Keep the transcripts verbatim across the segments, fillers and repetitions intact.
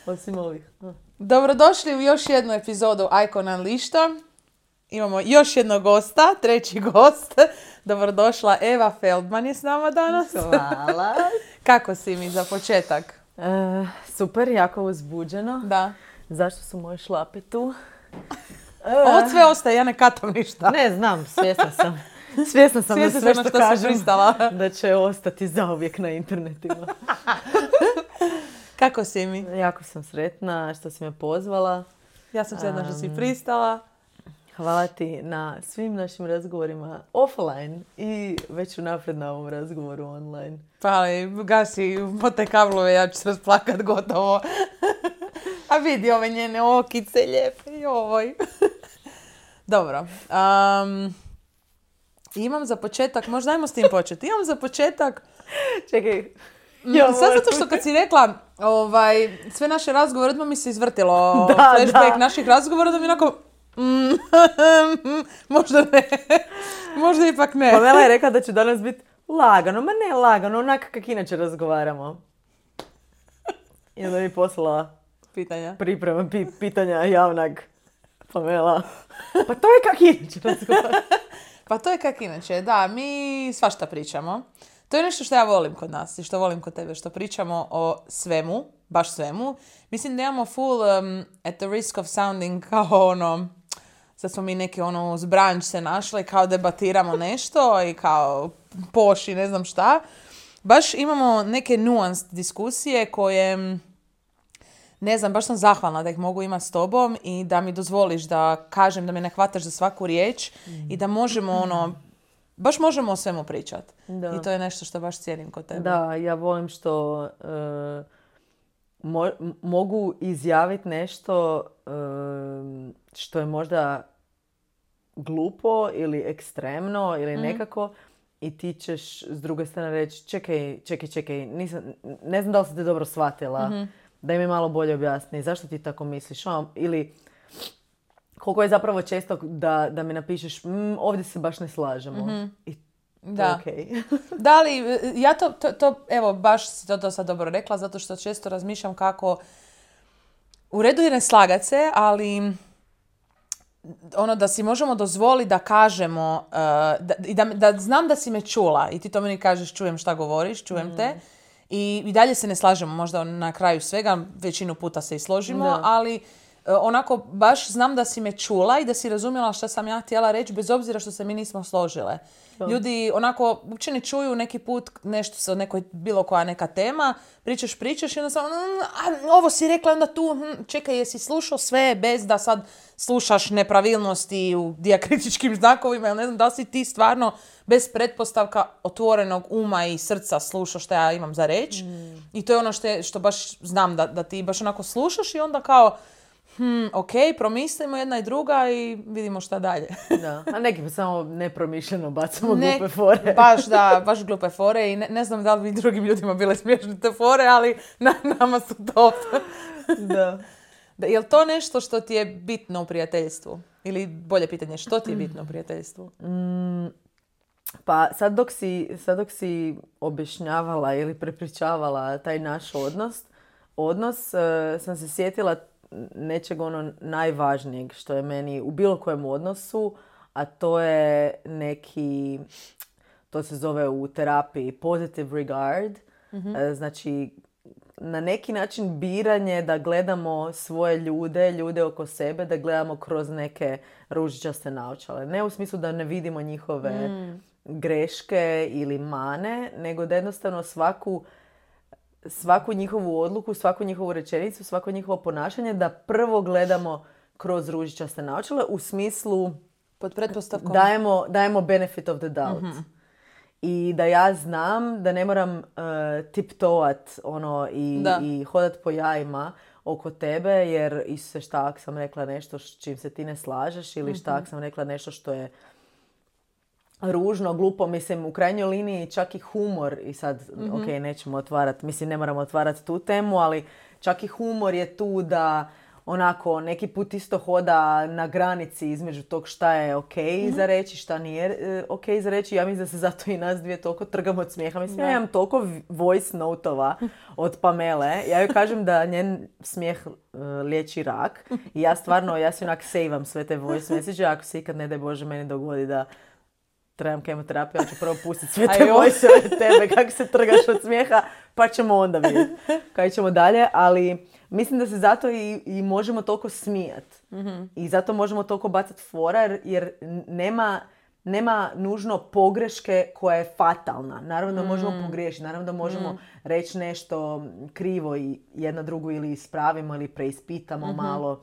Osim ovih. Dobrodošli u još jednu epizodu Icon Unleasheda. Imamo još jednog gosta, treći gost. Dobrodošla, Eva Feldman je s nama danas. Hvala. Kako si mi za početak? E, super, jako uzbuđeno. Da. Zašto su moje šlape tu? Ovo sve ostaje, ja ne katam ništa. Ne znam, svjesna sam. Svjesna sam da sve što, što kažem da će ostati zauvijek na internetima. Kako si mi? Jako sam sretna što si me pozvala. Ja sam sretna što si pristala. Hvala ti na svim našim razgovorima offline i već unaprijed na ovom razgovoru online. Pa ali, gasi mote kablove, ja ću se rasplakat gotovo. A vidi ove njene okice lijepe, joj. Dobro. Um, imam za početak, možda ajmo s tim početi. Imam za početak... Čekaj. Ja, sad zato što kad si rekla ovaj, sve naše razgovore, odmah mi se izvrtilo da, flashback da. naših razgovora, da mi onako... Mm, možda ne. Možda ipak ne. Pamela je rekla da će danas biti lagano. Ma ne lagano, onako kak inače razgovaramo. I onda mi poslala pitanja. Priprema pi, pitanja javnog. Pamela. Pa to je kak inače razgovaramo. Pa to je kak inače, da. Mi svašta pričamo. To je nešto što ja volim kod nas i što volim kod tebe, što pričamo o svemu, baš svemu. Mislim da imamo full, um, at the risk of sounding kao ono, sad smo mi neki ono uz branč se našli, kao debatiramo nešto i kao poši, ne znam šta. Baš imamo neke nuanced diskusije koje, ne znam, baš sam zahvalna da ih mogu imati s tobom i da mi dozvoliš da kažem, da me ne hvataš za svaku riječ mm. i da možemo ono, baš možemo o svemu pričati. I to je nešto što baš cijenim kod tebe. Da, ja volim što uh, mo- mogu izjaviti nešto uh, što je možda glupo ili ekstremno ili mm. nekako i ti ćeš s druge strane reći čekaj, čekaj, čekaj, nisam, ne znam da li si te dobro shvatila, mm-hmm. da mi malo bolje objasni zašto ti tako misliš. Ili koliko je zapravo često da, da mi napišeš mm, ovdje se baš ne slažemo. Mm-hmm. I da. Okay. Da li, ja to, to, to, evo, baš si to, to sad dobro rekla, zato što često razmišljam kako u redu je ne slagat se, ali ono da si možemo dozvoliti da kažemo uh, da, i da, da znam da si me čula i ti to meni kažeš čujem šta govoriš, čujem mm. te i, i dalje se ne slažemo, možda na kraju svega, većinu puta se i složimo, da. ali onako baš znam da si me čula i da si razumjela što sam ja htjela reći bez obzira što se mi nismo složile. To. Ljudi onako uopće ne čuju neki put nešto sa nekoj bilo koja neka tema, pričaš, pričaš i onda samo mm, ovo si rekla onda tu, hm, čekaj jesi slušao sve bez da sad slušaš nepravilnosti u dijakritičkim znakovima ili ne znam da li si ti stvarno bez pretpostavka otvorenog uma i srca slušaš što ja imam za reći. Mm. I to je ono što, je, što baš znam da, da ti baš onako slušaš i onda kao Hmm, ok, promislimo jedna i druga i vidimo šta dalje. Da, a neki pa samo nepromišljeno bacamo ne, glupe fore. Baš da, baš glupe fore i ne, ne znam da li bi drugim ljudima bile smiješne te fore, ali na, nama su top. Da. Da. Je li to nešto što ti je bitno u prijateljstvu? Ili bolje pitanje, što ti je bitno u prijateljstvu? Mm, pa sad dok si, sad dok si objašnjavala ili prepričavala taj naš odnos, odnos uh, sam se sjetila nečeg ono najvažnijeg što je meni u bilo kojem odnosu, a to je neki, to se zove u terapiji positive regard. Mm-hmm. Znači, na neki način biranje da gledamo svoje ljude, ljude oko sebe, da gledamo kroz neke ružičaste naočale. Ne u smislu da ne vidimo njihove mm. greške ili mane, nego da jednostavno svaku svaku njihovu odluku, svaku njihovu rečenicu, svako njihovo ponašanje da prvo gledamo kroz ružičaste naočale u smislu pod pretpostavkom dajemo, dajemo benefit of the doubt. Mm-hmm. I da ja znam da ne moram uh, tiptoat ono, i, i hodat po jajima oko tebe jer Isuse šta ako sam rekla nešto s čim se ti ne slažeš ili šta ako sam rekla nešto što je ružno, glupo, mislim, u krajnjoj liniji čak i humor, i sad, mm-hmm. ok, nećemo otvarati, mislim, ne moramo otvarati tu temu, ali čak i humor je tu da onako neki put isto hoda na granici između tog šta je ok mm-hmm. za reći, šta nije e, ok za reći. Ja mislim da se zato i nas dvije toliko trgamo od smijeha. Mislim, ja imam toliko voice note-ova od Pamele. Ja joj kažem da njen smijeh uh, liječi rak. I ja stvarno, ja si onak sejvam sve te voice message. Ako se ikad, ne daj Bože, meni dogodi da trebam kemoterapiju, ja ću prvo pustiti sve te voice tebe kako se trgaš od smijeha, pa ćemo onda vidjeti kaj ćemo dalje. Ali mislim da se zato i, i možemo toliko smijati. Mm-hmm. I zato možemo toliko bacati fora, jer nema, nema nužno pogreške koja je fatalna. Naravno da možemo mm. pogriješiti, naravno da možemo mm. reći nešto krivo i jedno drugo ili ispravimo ili preispitamo mm-hmm. malo.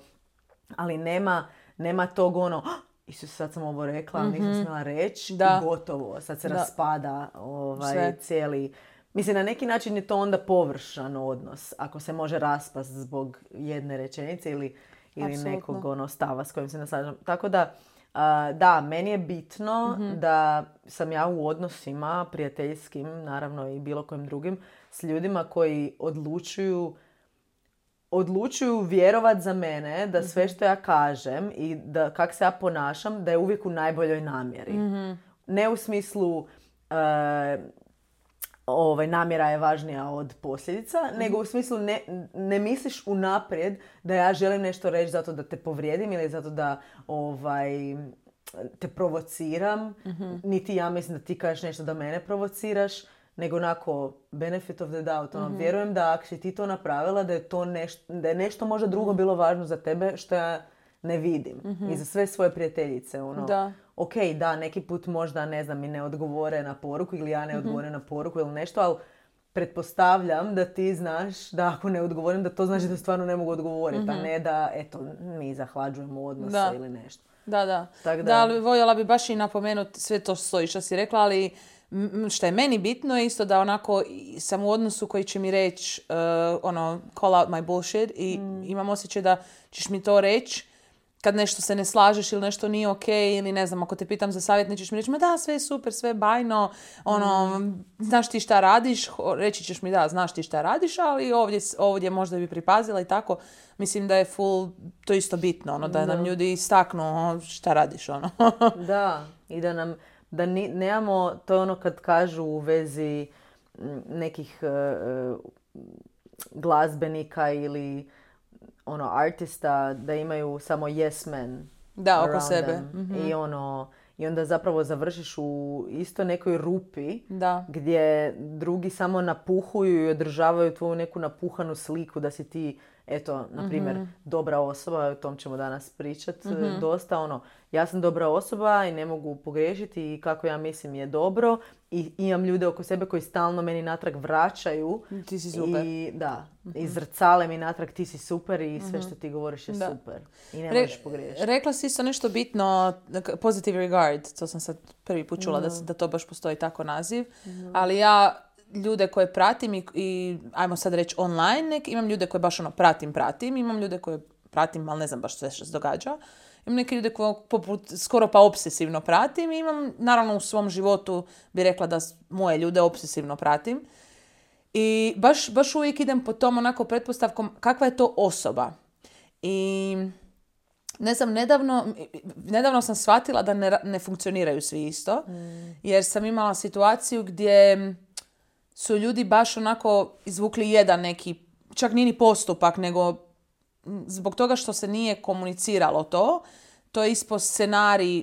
Ali nema, nema tog ono... Isus, sad sam ovo rekla, mm-hmm. nisam smjela reći i gotovo. Sad se da. raspada ovaj, cijeli... Mislim, na neki način je to onda površan odnos, ako se može raspast zbog jedne rečenice ili, ili nekog ono, stava s kojim se naslažem. Tako da, uh, da, meni je bitno mm-hmm. da sam ja u odnosima prijateljskim, naravno i bilo kojim drugim, s ljudima koji odlučuju odlučuju vjerovat za mene da sve što ja kažem i da kak se ja ponašam, da je uvijek u najboljoj namjeri. Mm-hmm. Ne u smislu uh, ovaj, namjera je važnija od posljedica, mm-hmm. nego u smislu ne, ne misliš unaprijed da ja želim nešto reći zato da te povrijedim ili zato da ovaj, te provociram. Mm-hmm. Niti ja mislim da ti kažeš nešto da mene provociraš, nego onako benefit of the doubt. Ono, mm-hmm. Vjerujem da ako si ti to napravila, da je, to nešto, da je nešto možda drugo bilo važno za tebe što ja ne vidim. Mm-hmm. I za sve svoje prijateljice. Ono, da. Ok, da, neki put možda, ne znam, mi ne odgovore na poruku ili ja ne odgovorim mm-hmm. na poruku ili nešto, ali pretpostavljam da ti znaš da ako ne odgovorim, da to znači da stvarno ne mogu odgovoriti, mm-hmm. a ne da, eto, mi zahlađujemo odnose da. ili nešto. Da, da. Tak da. Da, ali voljela bi baš i napomenuti sve to stoji što si rekla, ali što je meni bitno je isto da onako sam u odnosu koji će mi reći uh, ono, call out my bullshit i mm. imam osjećaj da ćeš mi to reći kad nešto se ne slažeš ili nešto nije ok ili ne znam, ako te pitam za savjet nećeš mi reći ma da, sve je super, sve je bajno, ono, mm. znaš ti šta radiš, reći ćeš mi da, znaš ti šta radiš, ali ovdje, ovdje možda bi pripazila i tako. Mislim da je full, to isto bitno, ono, da, da. nam ljudi istaknu šta radiš, ono. Da, i da nam da ni, nemamo, to je ono kad kažu u vezi nekih uh, glazbenika ili ono artista da imaju samo yes men da, oko sebe. Mm-hmm. I ono i onda zapravo završiš u isto nekoj rupi da. Gdje drugi samo napuhuju i održavaju tvoju neku napuhanu sliku da si ti, eto, na primjer, mm-hmm. dobra osoba, o tom ćemo danas pričati mm-hmm. dosta, ono, ja sam dobra osoba i ne mogu pogriješiti i kako ja mislim je dobro i imam ljude oko sebe koji stalno meni natrag vraćaju. Ti si super. I da, mm-hmm. i zrcale mi natrag ti si super i sve što ti govoriš je da. super. I ne Re- možeš pogriješiti. Rekla si isto nešto bitno, positive regard, to sam sad prvi put čula mm-hmm. da, da to baš postoji tako naziv, mm-hmm. ali ja ljude koje pratim i, i ajmo sad reći online, nek, imam ljude koje baš ono pratim, pratim, imam ljude koje pratim, ali ne znam baš sve što se događa. Imam neke ljude koje poput, skoro pa obsesivno pratim i imam, naravno u svom životu bi rekla da moje ljude obsesivno pratim. I baš, baš uvijek idem po tom onako pretpostavkom kakva je to osoba. I ne znam, nedavno, nedavno sam shvatila da ne, ne funkcioniraju svi isto, mm. jer sam imala situaciju gdje su ljudi baš onako izvukli jedan neki, čak nije ni postupak, nego zbog toga što se nije komuniciralo to, to je ispod scenarij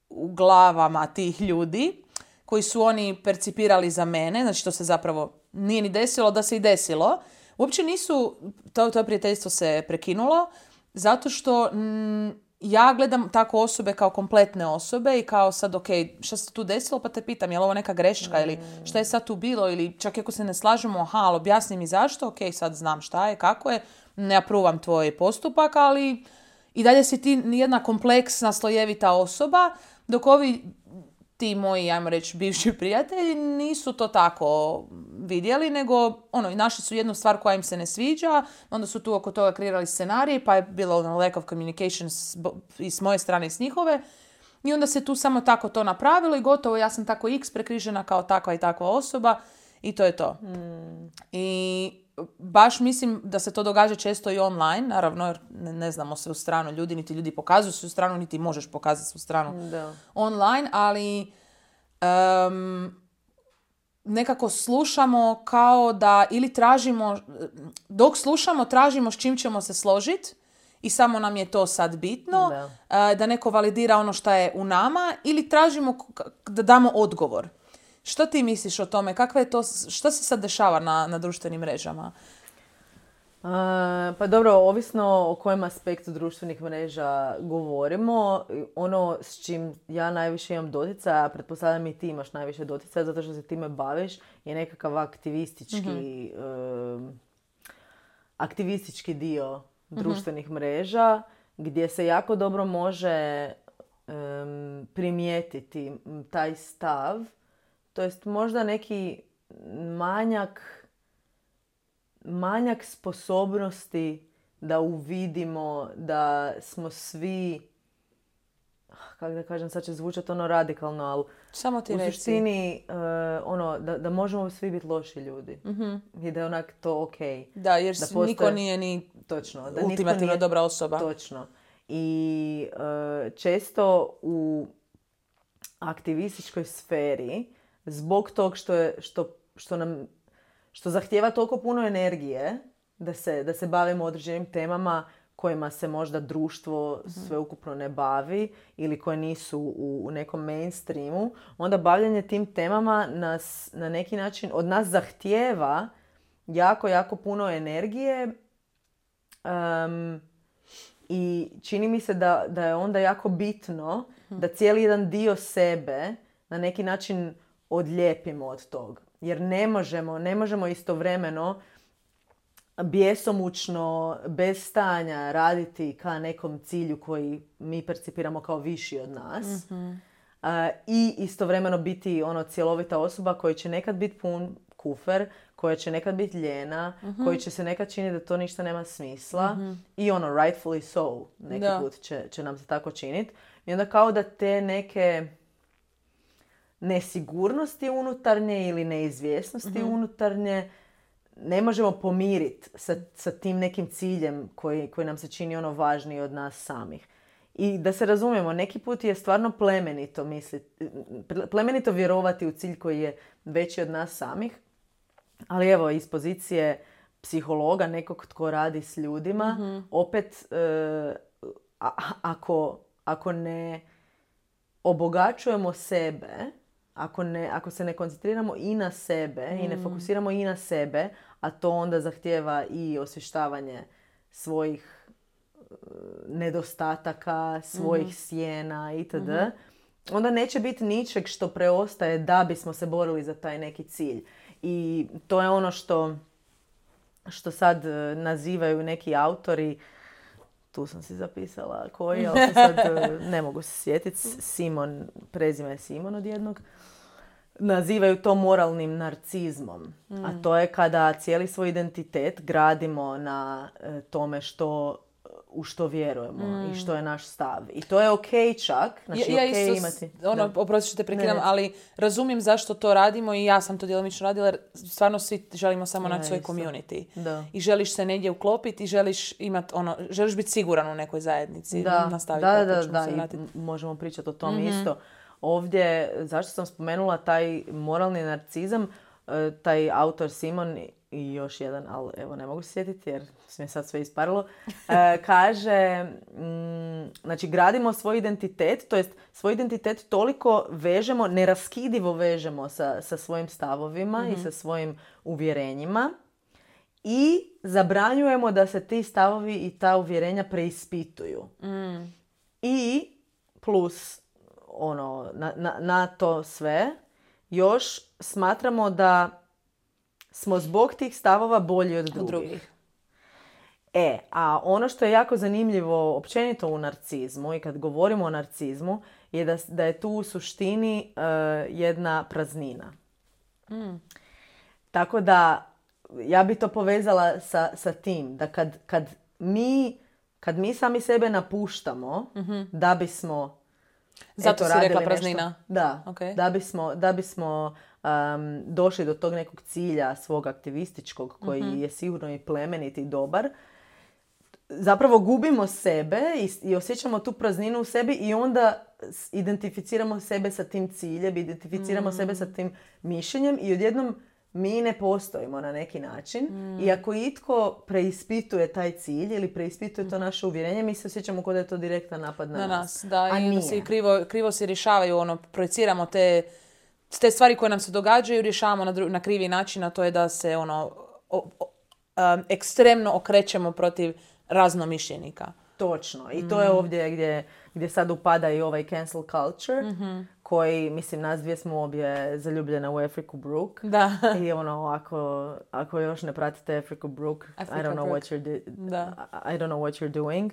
u glavama tih ljudi koji su oni percipirali za mene, znači to se zapravo nije ni desilo da se i desilo. Uopće nisu, to, to prijateljstvo se prekinulo, zato što mm, ja gledam tako osobe kao kompletne osobe i kao sad, ok, šta se tu desilo, pa te pitam, je li ovo neka greška mm. ili šta je sad tu bilo ili čak ako se ne slažemo, aha, ali objasni mi zašto, ok, sad znam šta je, kako je, ne apruvam tvoj postupak, ali i dalje si ti jedna kompleksna, slojevita osoba, dok ovi ti moji, ajmo reći, bivši prijatelji nisu to tako vidjeli, nego ono, našli su jednu stvar koja im se ne sviđa, onda su tu oko toga kreirali scenarij, pa je bilo ono, lack of communication s, i s moje strane i s njihove, i onda se tu samo tako to napravilo i gotovo, ja sam tako X prekrižena kao takva i takva osoba i to je to. Mm. I baš mislim da se to događa često i online, naravno jer ne, ne znamo se u stranu ljudi, niti ljudi pokazuju se u stranu, niti možeš pokazati se u stranu Da. online, ali um, nekako slušamo kao da ili tražimo, dok slušamo tražimo s čim ćemo se složiti i samo nam je to sad bitno, Da. da neko validira ono što je u nama ili tražimo da damo odgovor. Što ti misliš o tome? Kakva je to, što se sad dešava na, na društvenim mrežama? Uh, pa dobro, ovisno o kojem aspektu društvenih mreža govorimo, ono s čim ja najviše imam doticaja, pretpostavljam i ti imaš najviše doticaja zato što se time baviš, je nekakav aktivistički, mm-hmm. uh, aktivistički dio društvenih mm-hmm. mreža gdje se jako dobro može um, primijetiti taj stav, to jest možda neki manjak manjak sposobnosti da uvidimo da smo svi, kako da kažem, sad će zvučati ono radikalno, ali samo ti u reci. suštini uh, ono, da, da možemo svi biti loši ljudi. Mm-hmm. I da je onak to ok. Da, jer da postoje, niko nije ni točno, da ultimativno nije dobra osoba. Točno. I uh, često u aktivističkoj sferi, zbog tog što, je, što, što nam što zahtijeva toliko puno energije da se, da se bavimo određenim temama kojima se možda društvo sveukupno ne bavi ili koje nisu u, u nekom mainstreamu, onda bavljanje tim temama nas na neki način od nas zahtijeva jako, jako puno energije um, i čini mi se da, da je onda jako bitno da cijeli jedan dio sebe na neki način odlijepimo od tog. Jer ne možemo, ne možemo istovremeno bjesomučno, bez stanja raditi ka nekom cilju koji mi percipiramo kao viši od nas. Mm-hmm. Uh, I istovremeno biti ono cjelovita osoba koja će nekad biti pun kufer, koja će nekad biti ljena, mm-hmm. koji će se nekad činiti da to ništa nema smisla. Mm-hmm. I ono, rightfully so, neki da. put će, će nam se tako činiti. I onda kao da te neke nesigurnosti unutarnje ili neizvjesnosti mm-hmm. unutarnje ne možemo pomiriti sa, sa tim nekim ciljem koji, koji nam se čini ono važniji od nas samih. I da se razumijemo, neki put je stvarno plemenito misliti, plemenito vjerovati u cilj koji je veći od nas samih, ali evo, iz pozicije psihologa, nekog tko radi s ljudima, mm-hmm. opet e, a, ako, ako ne obogaćujemo sebe, Ako, ne, ako se ne koncentriramo i na sebe mm. i ne fokusiramo i na sebe, a to onda zahtijeva i osvještavanje svojih uh, nedostataka, svojih mm-hmm. sjena itd., mm-hmm. onda neće biti ničeg što preostaje da bismo se borili za taj neki cilj. I to je ono što, što sad uh, nazivaju neki autori, tu sam si zapisala koji, ali sad uh, ne mogu se sjetiti, Simon, prezime je Simon od jednog, nazivaju to moralnim narcizmom. Mm. A to je kada cijeli svoj identitet gradimo na e, tome što, u što vjerujemo mm. i što je naš stav. I to je okej okay čak. Znači, ja, ja okay isto, imati... ono, oprosti što te prekidam, ali razumijem zašto to radimo i ja sam to djelomično radila jer stvarno svi želimo samo ja, naći svoj isto. community. Da. I želiš se negdje uklopiti i želiš imat ono, želiš biti siguran u nekoj zajednici. Da, Nastaviti da, da, da, da. I možemo pričati o tom mm-hmm. isto. Ovdje, zašto sam spomenula taj moralni narcizam, taj autor Simon i još jedan, ali evo ne mogu se sjetiti jer mi je sad sve isparilo, kaže, mm, znači gradimo svoj identitet, to jest svoj identitet toliko vežemo, neraskidivo vežemo sa, sa svojim stavovima mm-hmm. i sa svojim uvjerenjima i zabranjujemo da se ti stavovi i ta uvjerenja preispituju. Mm. I plus ono, na, na, na to sve, još smatramo da smo zbog tih stavova bolji od drugih. drugih. E, a ono što je jako zanimljivo općenito u narcizmu i kad govorimo o narcizmu je da, da je tu u suštini uh, jedna praznina. Mm. Tako da ja bi to povezala sa, sa tim da kad, kad, mi, kad mi sami sebe napuštamo mm-hmm. da bismo Zato eto, si rekla praznina. Nešto, da, okay. da bismo, da bismo um, došli do tog nekog cilja svog aktivističkog koji mm-hmm. je sigurno i plemenit i dobar, zapravo gubimo sebe i, i osjećamo tu prazninu u sebi i onda identificiramo sebe sa tim ciljem, identificiramo mm. sebe sa tim mišljenjem i odjednom mi ne postojimo na neki način. Mm. I ako itko preispituje taj cilj ili preispituje to naše uvjerenje, mi se osjećamo kao da je to direktan napad na, na nas. nas. Da, a i onda se krivo, krivo se rješavaju, ono, projeciramo te, te stvari koje nam se događaju, rješavamo na, dru, na krivi način, a to je da se ono o, o, um, ekstremno okrećemo protiv raznomišljenika. Točno. I to mm. je ovdje gdje, gdje sad upada i ovaj cancel culture, mm-hmm. koji, mislim, nas dvije smo obje zaljubljene u Afriku Brooke. Da. I ono, ako, ako još ne pratite Afriku Brooke, Africa I don't know Brooke. what you're di- da. I don't know what you're doing.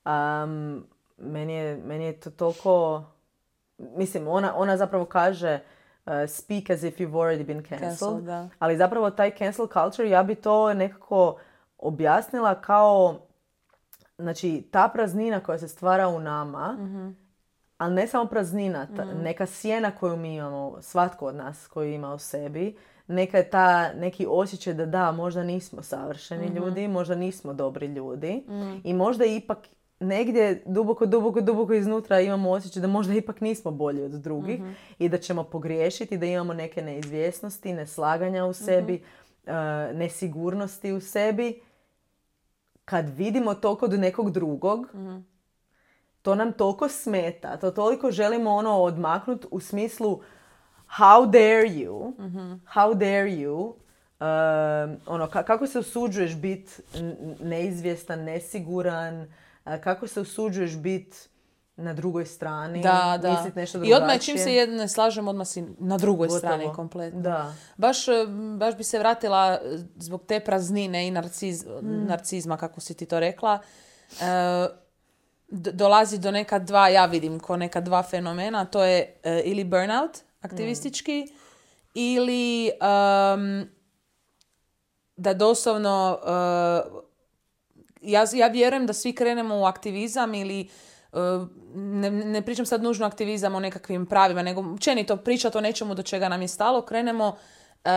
Um, meni, je, meni je to toliko... Mislim, ona, ona zapravo kaže uh, speak as if you've already been cancelled. Cancel, da. Ali zapravo taj cancel culture, ja bi to nekako objasnila kao... Znači, ta praznina koja se stvara u nama, mm-hmm. ali ne samo praznina, ta, mm-hmm. neka sjena koju mi imamo, svatko od nas koji ima u sebi, neka je ta, neki osjećaj da da, možda nismo savršeni mm-hmm. ljudi, možda nismo dobri ljudi mm. i možda ipak negdje duboko, duboko, duboko iznutra imamo osjećaj da možda ipak nismo bolji od drugih mm-hmm. i da ćemo pogriješiti, da imamo neke neizvjesnosti, neslaganja u sebi, mm-hmm. uh, nesigurnosti u sebi. Kad vidimo to kod nekog drugog, mm-hmm. to nam toliko smeta, to toliko želimo ono odmaknuti u smislu how dare you, mm-hmm. how dare you, uh, ono, ka- kako se usuđuješ biti neizvjestan, nesiguran, uh, kako se usuđuješ biti na drugoj strani, da, da. mislit nešto drugačije. I odmah čim se jedno ne slažem, odmah si na drugoj Gotovo. strani kompletno. Da. Baš, baš bi se vratila zbog te praznine i narciz, mm. narcizma, kako si ti to rekla. E, d- dolazi do neka dva, ja vidim ko neka dva fenomena, to je e, ili burnout aktivistički mm. ili um, da doslovno uh, ja, ja vjerujem da svi krenemo u aktivizam ili Ne, ne pričam sad nužno aktivizam o nekakvim pravima, nego općenito pričati o nečemu do čega nam je stalo, krenemo uh,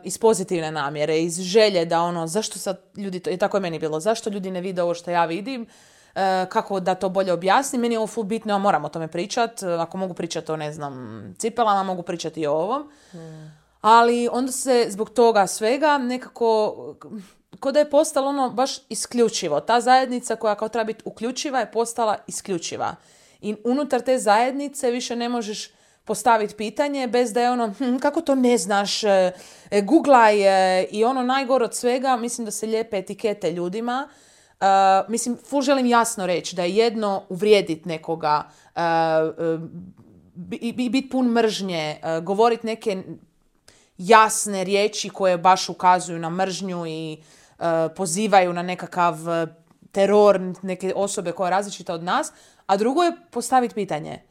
iz pozitivne namjere, iz želje da ono, zašto sad ljudi, to, i tako je meni bilo, zašto ljudi ne vide ovo što ja vidim, uh, kako da to bolje objasnim, meni je ovo ful bitno, ja moram o tome pričati, ako mogu pričati o, ne znam, cipelama, mogu pričati i o ovom. Hmm. Ali onda se zbog toga svega nekako... Ko da je postalo ono baš isključivo. Ta zajednica koja kao treba biti uključiva je postala isključiva. I unutar te zajednice više ne možeš postaviti pitanje bez da je ono, hm, kako to ne znaš, e, googlaj e, i ono najgore od svega, mislim da se lijepe etikete ljudima. Uh, mislim, ful želim jasno reći da je jedno uvrijediti nekoga, uh, uh, biti bit pun mržnje, uh, govoriti neke jasne riječi koje baš ukazuju na mržnju i uh, pozivaju na nekakav uh, teror neke osobe koja je različita od nas, a drugo je postaviti pitanje.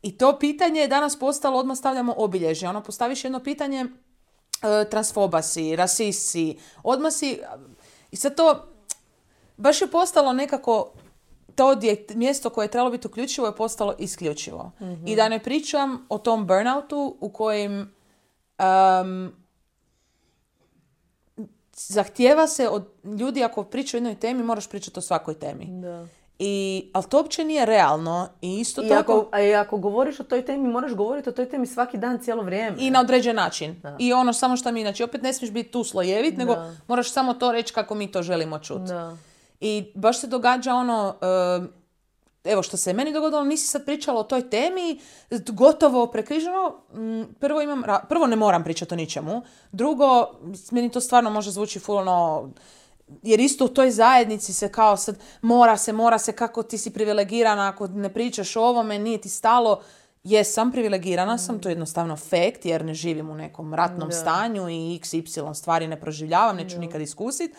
I to pitanje je danas postalo, odmah stavljamo obilježje. Ono, postaviš jedno pitanje, uh, transfoba si, rasist si, odmah si... I sad to baš je postalo nekako... To je mjesto koje je trebalo biti uključivo je postalo isključivo. Mm-hmm. I da ne pričam o tom burnoutu u kojem um, zahtijeva se od ljudi, ako pričaju o jednoj temi, moraš pričati o svakoj temi. Da. I, ali to uopće nije realno. I isto I tako... Ako, a i ako govoriš o toj temi, moraš govoriti o toj temi svaki dan, cijelo vrijeme. I na određen način. Da. I ono samo što mi, znači opet ne smiješ biti tu slojevit, da. nego moraš samo to reći kako mi to želimo čuti. I baš se događa ono, uh, evo što se meni dogodilo, nisi sad pričala o toj temi, gotovo prekriženo. Prvo, imam, prvo ne moram pričati o ničemu. Drugo, meni to stvarno može zvuči fulno, jer isto u toj zajednici se kao sad mora se, mora se, kako ti si privilegirana, ako ne pričaš o ovome, nije ti stalo. Jesam, privilegirana mm. sam, to je jednostavno fact, jer ne živim u nekom ratnom da. stanju i iks ipsilon stvari ne proživljavam, neću da. nikad iskusiti.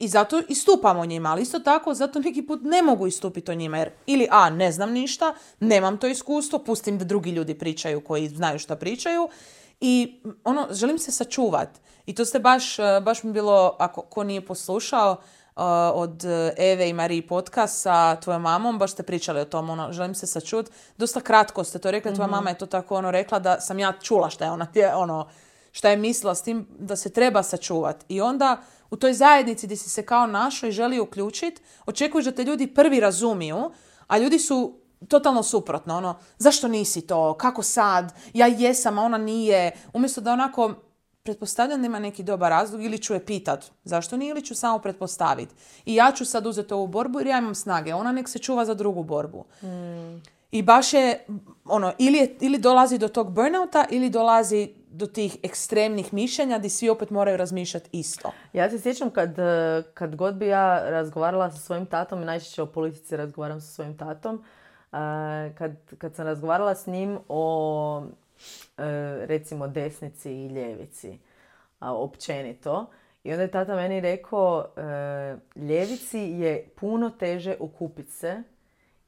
I zato istupam o njima, ali isto tako zato neki put ne mogu istupiti o njima, jer ili a, ne znam ništa, nemam to iskustvo, pustim da drugi ljudi pričaju koji znaju šta pričaju i ono, želim se sačuvat. I to ste baš, baš mi bilo, ako ko nije poslušao, od Eve i Mariji podcast sa tvojom mamom, baš ste pričali o tom, ono, želim se sačut. Dosta kratko ste to rekli, tvoja mm-hmm. mama je to tako ono rekla da sam ja čula šta je ona, ono, šta je mislila s tim da se treba sačuvati. I onda u toj zajednici gdje si se kao našao i želi uključiti, očekuješ da te ljudi prvi razumiju, a ljudi su totalno suprotno. Ono, zašto nisi to? Kako sad? Ja jesam, a ona nije. Umjesto da onako pretpostavljam da ima neki dobar razlog ili ću je pitat zašto nije ili ću samo pretpostaviti. I ja ću sad uzeti ovu borbu jer ja imam snage. Ona nek se čuva za drugu borbu. Mm. I baš je, ono, ili, je, ili dolazi do tog burnouta ili dolazi do tih ekstremnih mišljenja gdje svi opet moraju razmišljati isto. Ja se sjećam kad, kad god bi ja razgovarala sa svojim tatom, najčešće o politici razgovaram sa svojim tatom, kad, kad sam razgovarala s njim o recimo desnici i ljevici, općenito. I onda je tata meni rekao, ljevici je puno teže okupiti se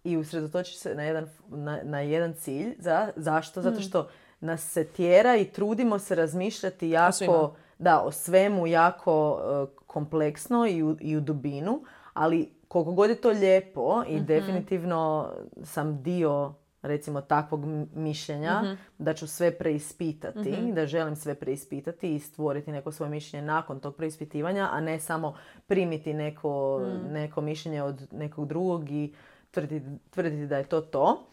i usredotočiti se na jedan, na, na jedan cilj. Za, zašto? Zato što nas se tjera i trudimo se razmišljati jako, da, o svemu jako uh, kompleksno i u, i u dubinu, ali koliko god je to lijepo i mm-hmm. definitivno sam dio recimo takvog mišljenja, mm-hmm. da ću sve preispitati, mm-hmm. da želim sve preispitati i stvoriti neko svoje mišljenje nakon tog preispitivanja, a ne samo primiti neko, mm. neko mišljenje od nekog drugog i tvrditi, tvrditi da je to to.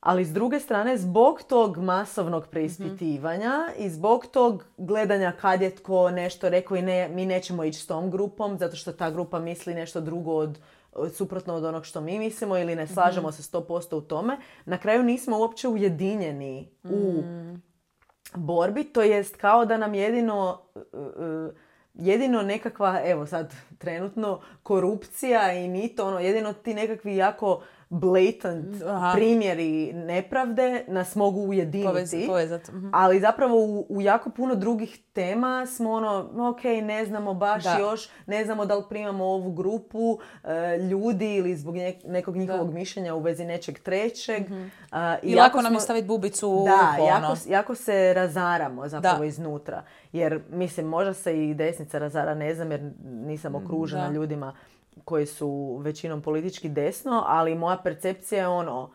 Ali s druge strane, zbog tog masovnog preispitivanja mm-hmm. i zbog tog gledanja kad je tko nešto rekao i ne, mi nećemo ići s tom grupom zato što ta grupa misli nešto drugo od, od suprotno od onog što mi mislimo ili ne slažemo mm-hmm. se sto posto u tome, na kraju nismo uopće ujedinjeni mm. u borbi. To jest kao da nam jedino... Uh, jedino nekakva, evo sad trenutno, korupcija i mito, ono, jedino ti nekakvi jako blatant Aha. primjeri nepravde nas mogu ujediniti. Povez, povezat. Mhm. Ali zapravo u, u jako puno drugih tema smo ono, ok, ne znamo baš da. još, ne znamo da li primamo ovu grupu e, ljudi ili zbog ne, nekog njihovog da. mišljenja u vezi nečeg trećeg. Mm-hmm. A, I, I lako nam je staviti bubicu u Da, jako, jako se razaramo zapravo da. iznutra. Jer, mislim, možda se i desnica razara, ne znam, jer nisam okružena da. ljudima koji su većinom politički desno, ali moja percepcija je ono,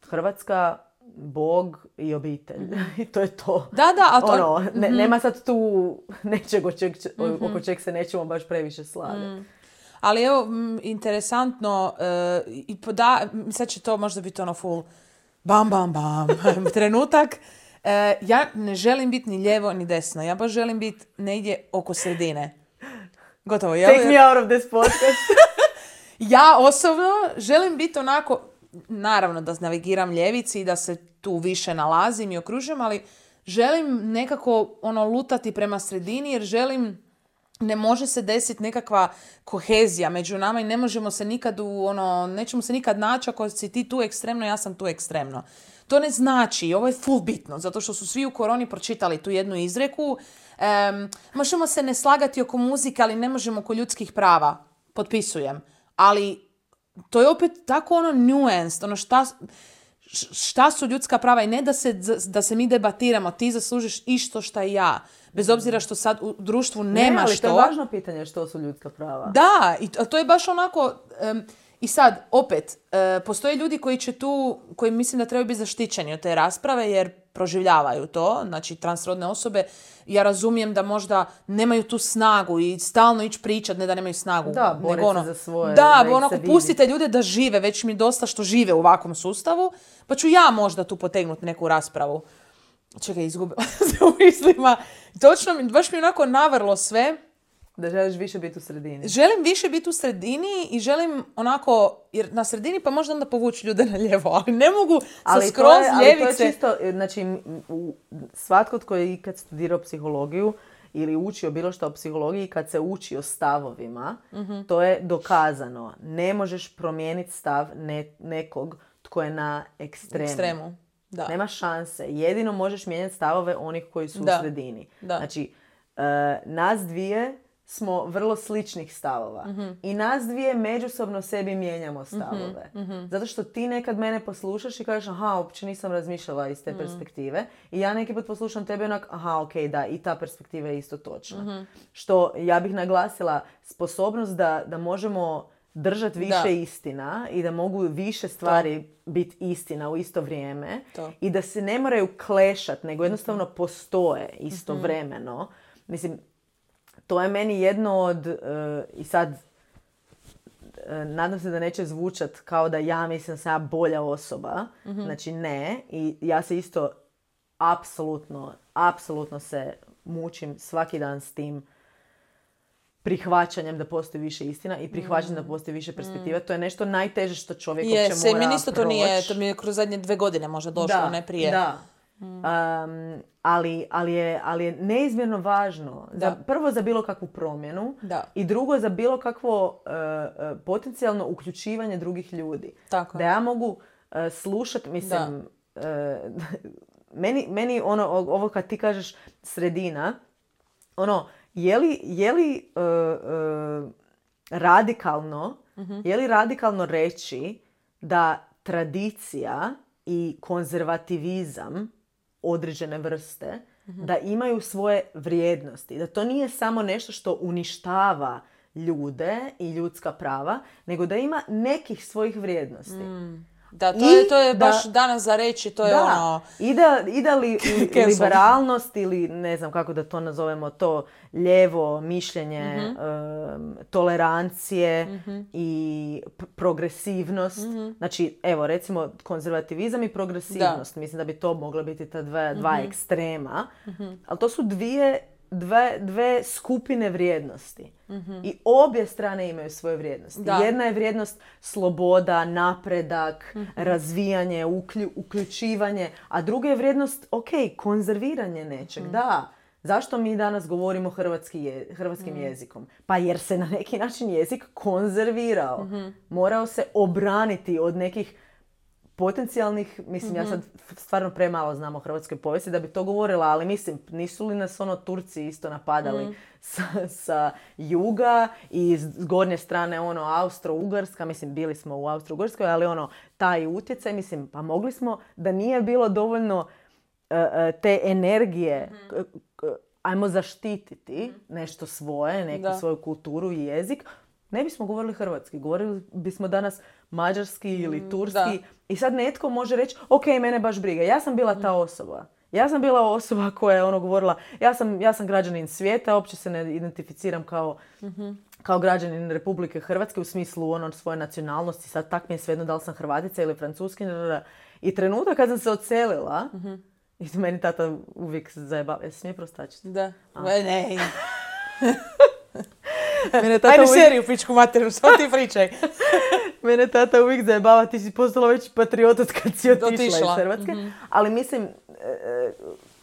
Hrvatska, Bog i obitelj. Mm-hmm. I to je to. Da, da, a to... Ono, ne, mm-hmm. nema sad tu nečeg oko čeg, mm-hmm. oko čeg se nećemo baš previše slagati. Mm. Ali evo, m, interesantno, uh, i poda, sad će to možda biti ono full bam, bam, bam, trenutak. Uh, ja ne želim biti ni lijevo ni desno. Ja baš želim biti negdje oko sredine. Gotovo. Ja, Take me out of this podcast. Ja osobno želim biti onako, naravno da navigiram ljevici i da se tu više nalazim i okružujem, ali želim nekako ono lutati prema sredini jer želim, ne može se desiti nekakva kohezija među nama i ne možemo se nikad u ono, nećemo se nikad naći ako si ti tu ekstremno, ja sam tu ekstremno. To ne znači, ovo je full bitno, zato što su svi u koroni pročitali tu jednu izreku. Um, možemo se ne slagati oko muzike, ali ne možemo oko ljudskih prava. Potpisujem. Ali to je opet tako ono nuanced, ono šta, šta su ljudska prava i ne da se, da se mi debatiramo, ti zaslužiš isto šta i ja. Bez obzira što sad u društvu nema ne, ali što. To je važno pitanje što su ljudska prava. Da, i to, to je baš onako... Um, I sad, opet, e, postoje ljudi koji će tu, koji mislim da trebaju biti zaštićeni od te rasprave jer proživljavaju to, znači transrodne osobe. Ja razumijem da možda nemaju tu snagu i stalno ići pričat, ne da nemaju snagu. Da, boriti ono, za svoje. Da, da onako pustite ljude da žive, već mi dosta što žive u ovakvom sustavu, pa ću ja možda tu potegnuti neku raspravu. Čekaj, izgubila se u mislima. Točno, baš mi onako navrlo sve. Da želiš više biti u sredini. Želim više biti u sredini i želim onako, jer na sredini pa možda onda povući ljude na lijevo, ali ne mogu sa skroz je, ljevice. Ali to je čisto, znači svatko tko je ikad studirao psihologiju ili učio bilo što o psihologiji, kad se uči o stavovima, mm-hmm. to je dokazano. Ne možeš promijeniti stav ne, nekog tko je na ekstremu. ekstremu. Da. Nema šanse. Jedino možeš mijenjati stavove onih koji su da. u sredini. Da. Znači, uh, nas dvije smo vrlo sličnih stavova. Mm-hmm. I nas dvije međusobno sebi mijenjamo stavove. Mm-hmm. Zato što ti nekad mene poslušaš i kažeš aha, uopće nisam razmišljala iz te mm-hmm. perspektive. I ja neki put poslušam tebe onak, aha, ok, da, i ta perspektiva je isto točna. Mm-hmm. Što ja bih naglasila sposobnost da, da možemo držati više da. istina i da mogu više stvari to. biti istina u isto vrijeme. To. I da se ne moraju klešat, nego jednostavno postoje istovremeno. Mm-hmm. Mislim, to je meni jedno od, uh, i sad uh, nadam se da neće zvučat kao da ja mislim da sam ja bolja osoba. Mm-hmm. Znači ne. I ja se isto apsolutno, apsolutno se mučim svaki dan s tim prihvaćanjem da postoji više istina i prihvaćanjem mm. da postoji više perspektiva. Mm. To je nešto najteže što čovjek uopće mora proći. Meni isto to nije, to mi je kroz zadnje dve godine možda došlo, da, ne prije. Da, mm. um, ali, ali, je, ali je neizmjerno važno. Za, prvo za bilo kakvu promjenu da. i drugo za bilo kakvo uh, potencijalno uključivanje drugih ljudi. Tako. Da ja mogu uh, slušati, mislim, uh, meni, meni ono, ovo kad ti kažeš sredina, ono, Je li, je li uh, uh, radikalno, mm-hmm. je li radikalno reći da tradicija i konzervativizam određene vrste mm-hmm. da imaju svoje vrijednosti, da to nije samo nešto što uništava ljude i ljudska prava, nego da ima nekih svojih vrijednosti. Mm. Da, to je, to je baš da, danas za reći, to je da, ono... I da, i da li, li, liberalnost ili ne znam kako da to nazovemo, to lijevo mišljenje, mm-hmm. um, tolerancije mm-hmm. i p- progresivnost. Mm-hmm. Znači, evo, recimo, konzervativizam i progresivnost. Da. Mislim da bi to mogla biti ta dva, dva mm-hmm. ekstrema. Mm-hmm. Ali to su dvije, dve, dve skupine vrijednosti. Mm-hmm. I obje strane imaju svoje vrijednosti. Da. Jedna je vrijednost sloboda, napredak, mm-hmm. razvijanje, uklju, uključivanje, a druga je vrijednost, ok, konzerviranje nečeg. Mm-hmm. Da, zašto mi danas govorimo hrvatski je, hrvatskim mm-hmm. jezikom? Pa jer se na neki način jezik konzervirao. Mm-hmm. Morao se obraniti od nekih potencijalnih, mislim, mm-hmm. ja sad stvarno premalo znam o hrvatskoj povijesti da bi to govorila, ali mislim, nisu li nas ono Turci isto napadali mm-hmm. sa, sa juga i s gornje strane ono Austro-Ugarska, mislim, bili smo u Austro-Ugarskoj, ali ono, taj utjecaj, mislim, pa mogli smo, da nije bilo dovoljno uh, te energije, mm-hmm. uh, ajmo zaštititi mm-hmm. nešto svoje, neku da. svoju kulturu i jezik, ne bismo govorili hrvatski, govorili bismo danas mađarski ili turski. Da. I sad netko može reći, ok, mene baš briga. Ja sam bila ta osoba. Ja sam bila osoba koja je ono govorila, ja sam, ja sam građanin svijeta, uopće se ne identificiram kao, mm-hmm. kao građanin Republike Hrvatske u smislu ono svoje nacionalnosti. Sad tak mi je svejedno da li sam Hrvatica ili Francuskinja. I trenutak kad sam se odselila, mm-hmm. i meni tata uvijek zajebava. Jesi smije prostačiti? Da. A. Ne. Mene tata Ajde uvijek... seriju pičku materiju, samo ti pričaj. Mene tata uvijek zajebava, ti si postala već patriot od kad si otišla, otišla. iz Hrvatske. Mm-hmm. Ali mislim,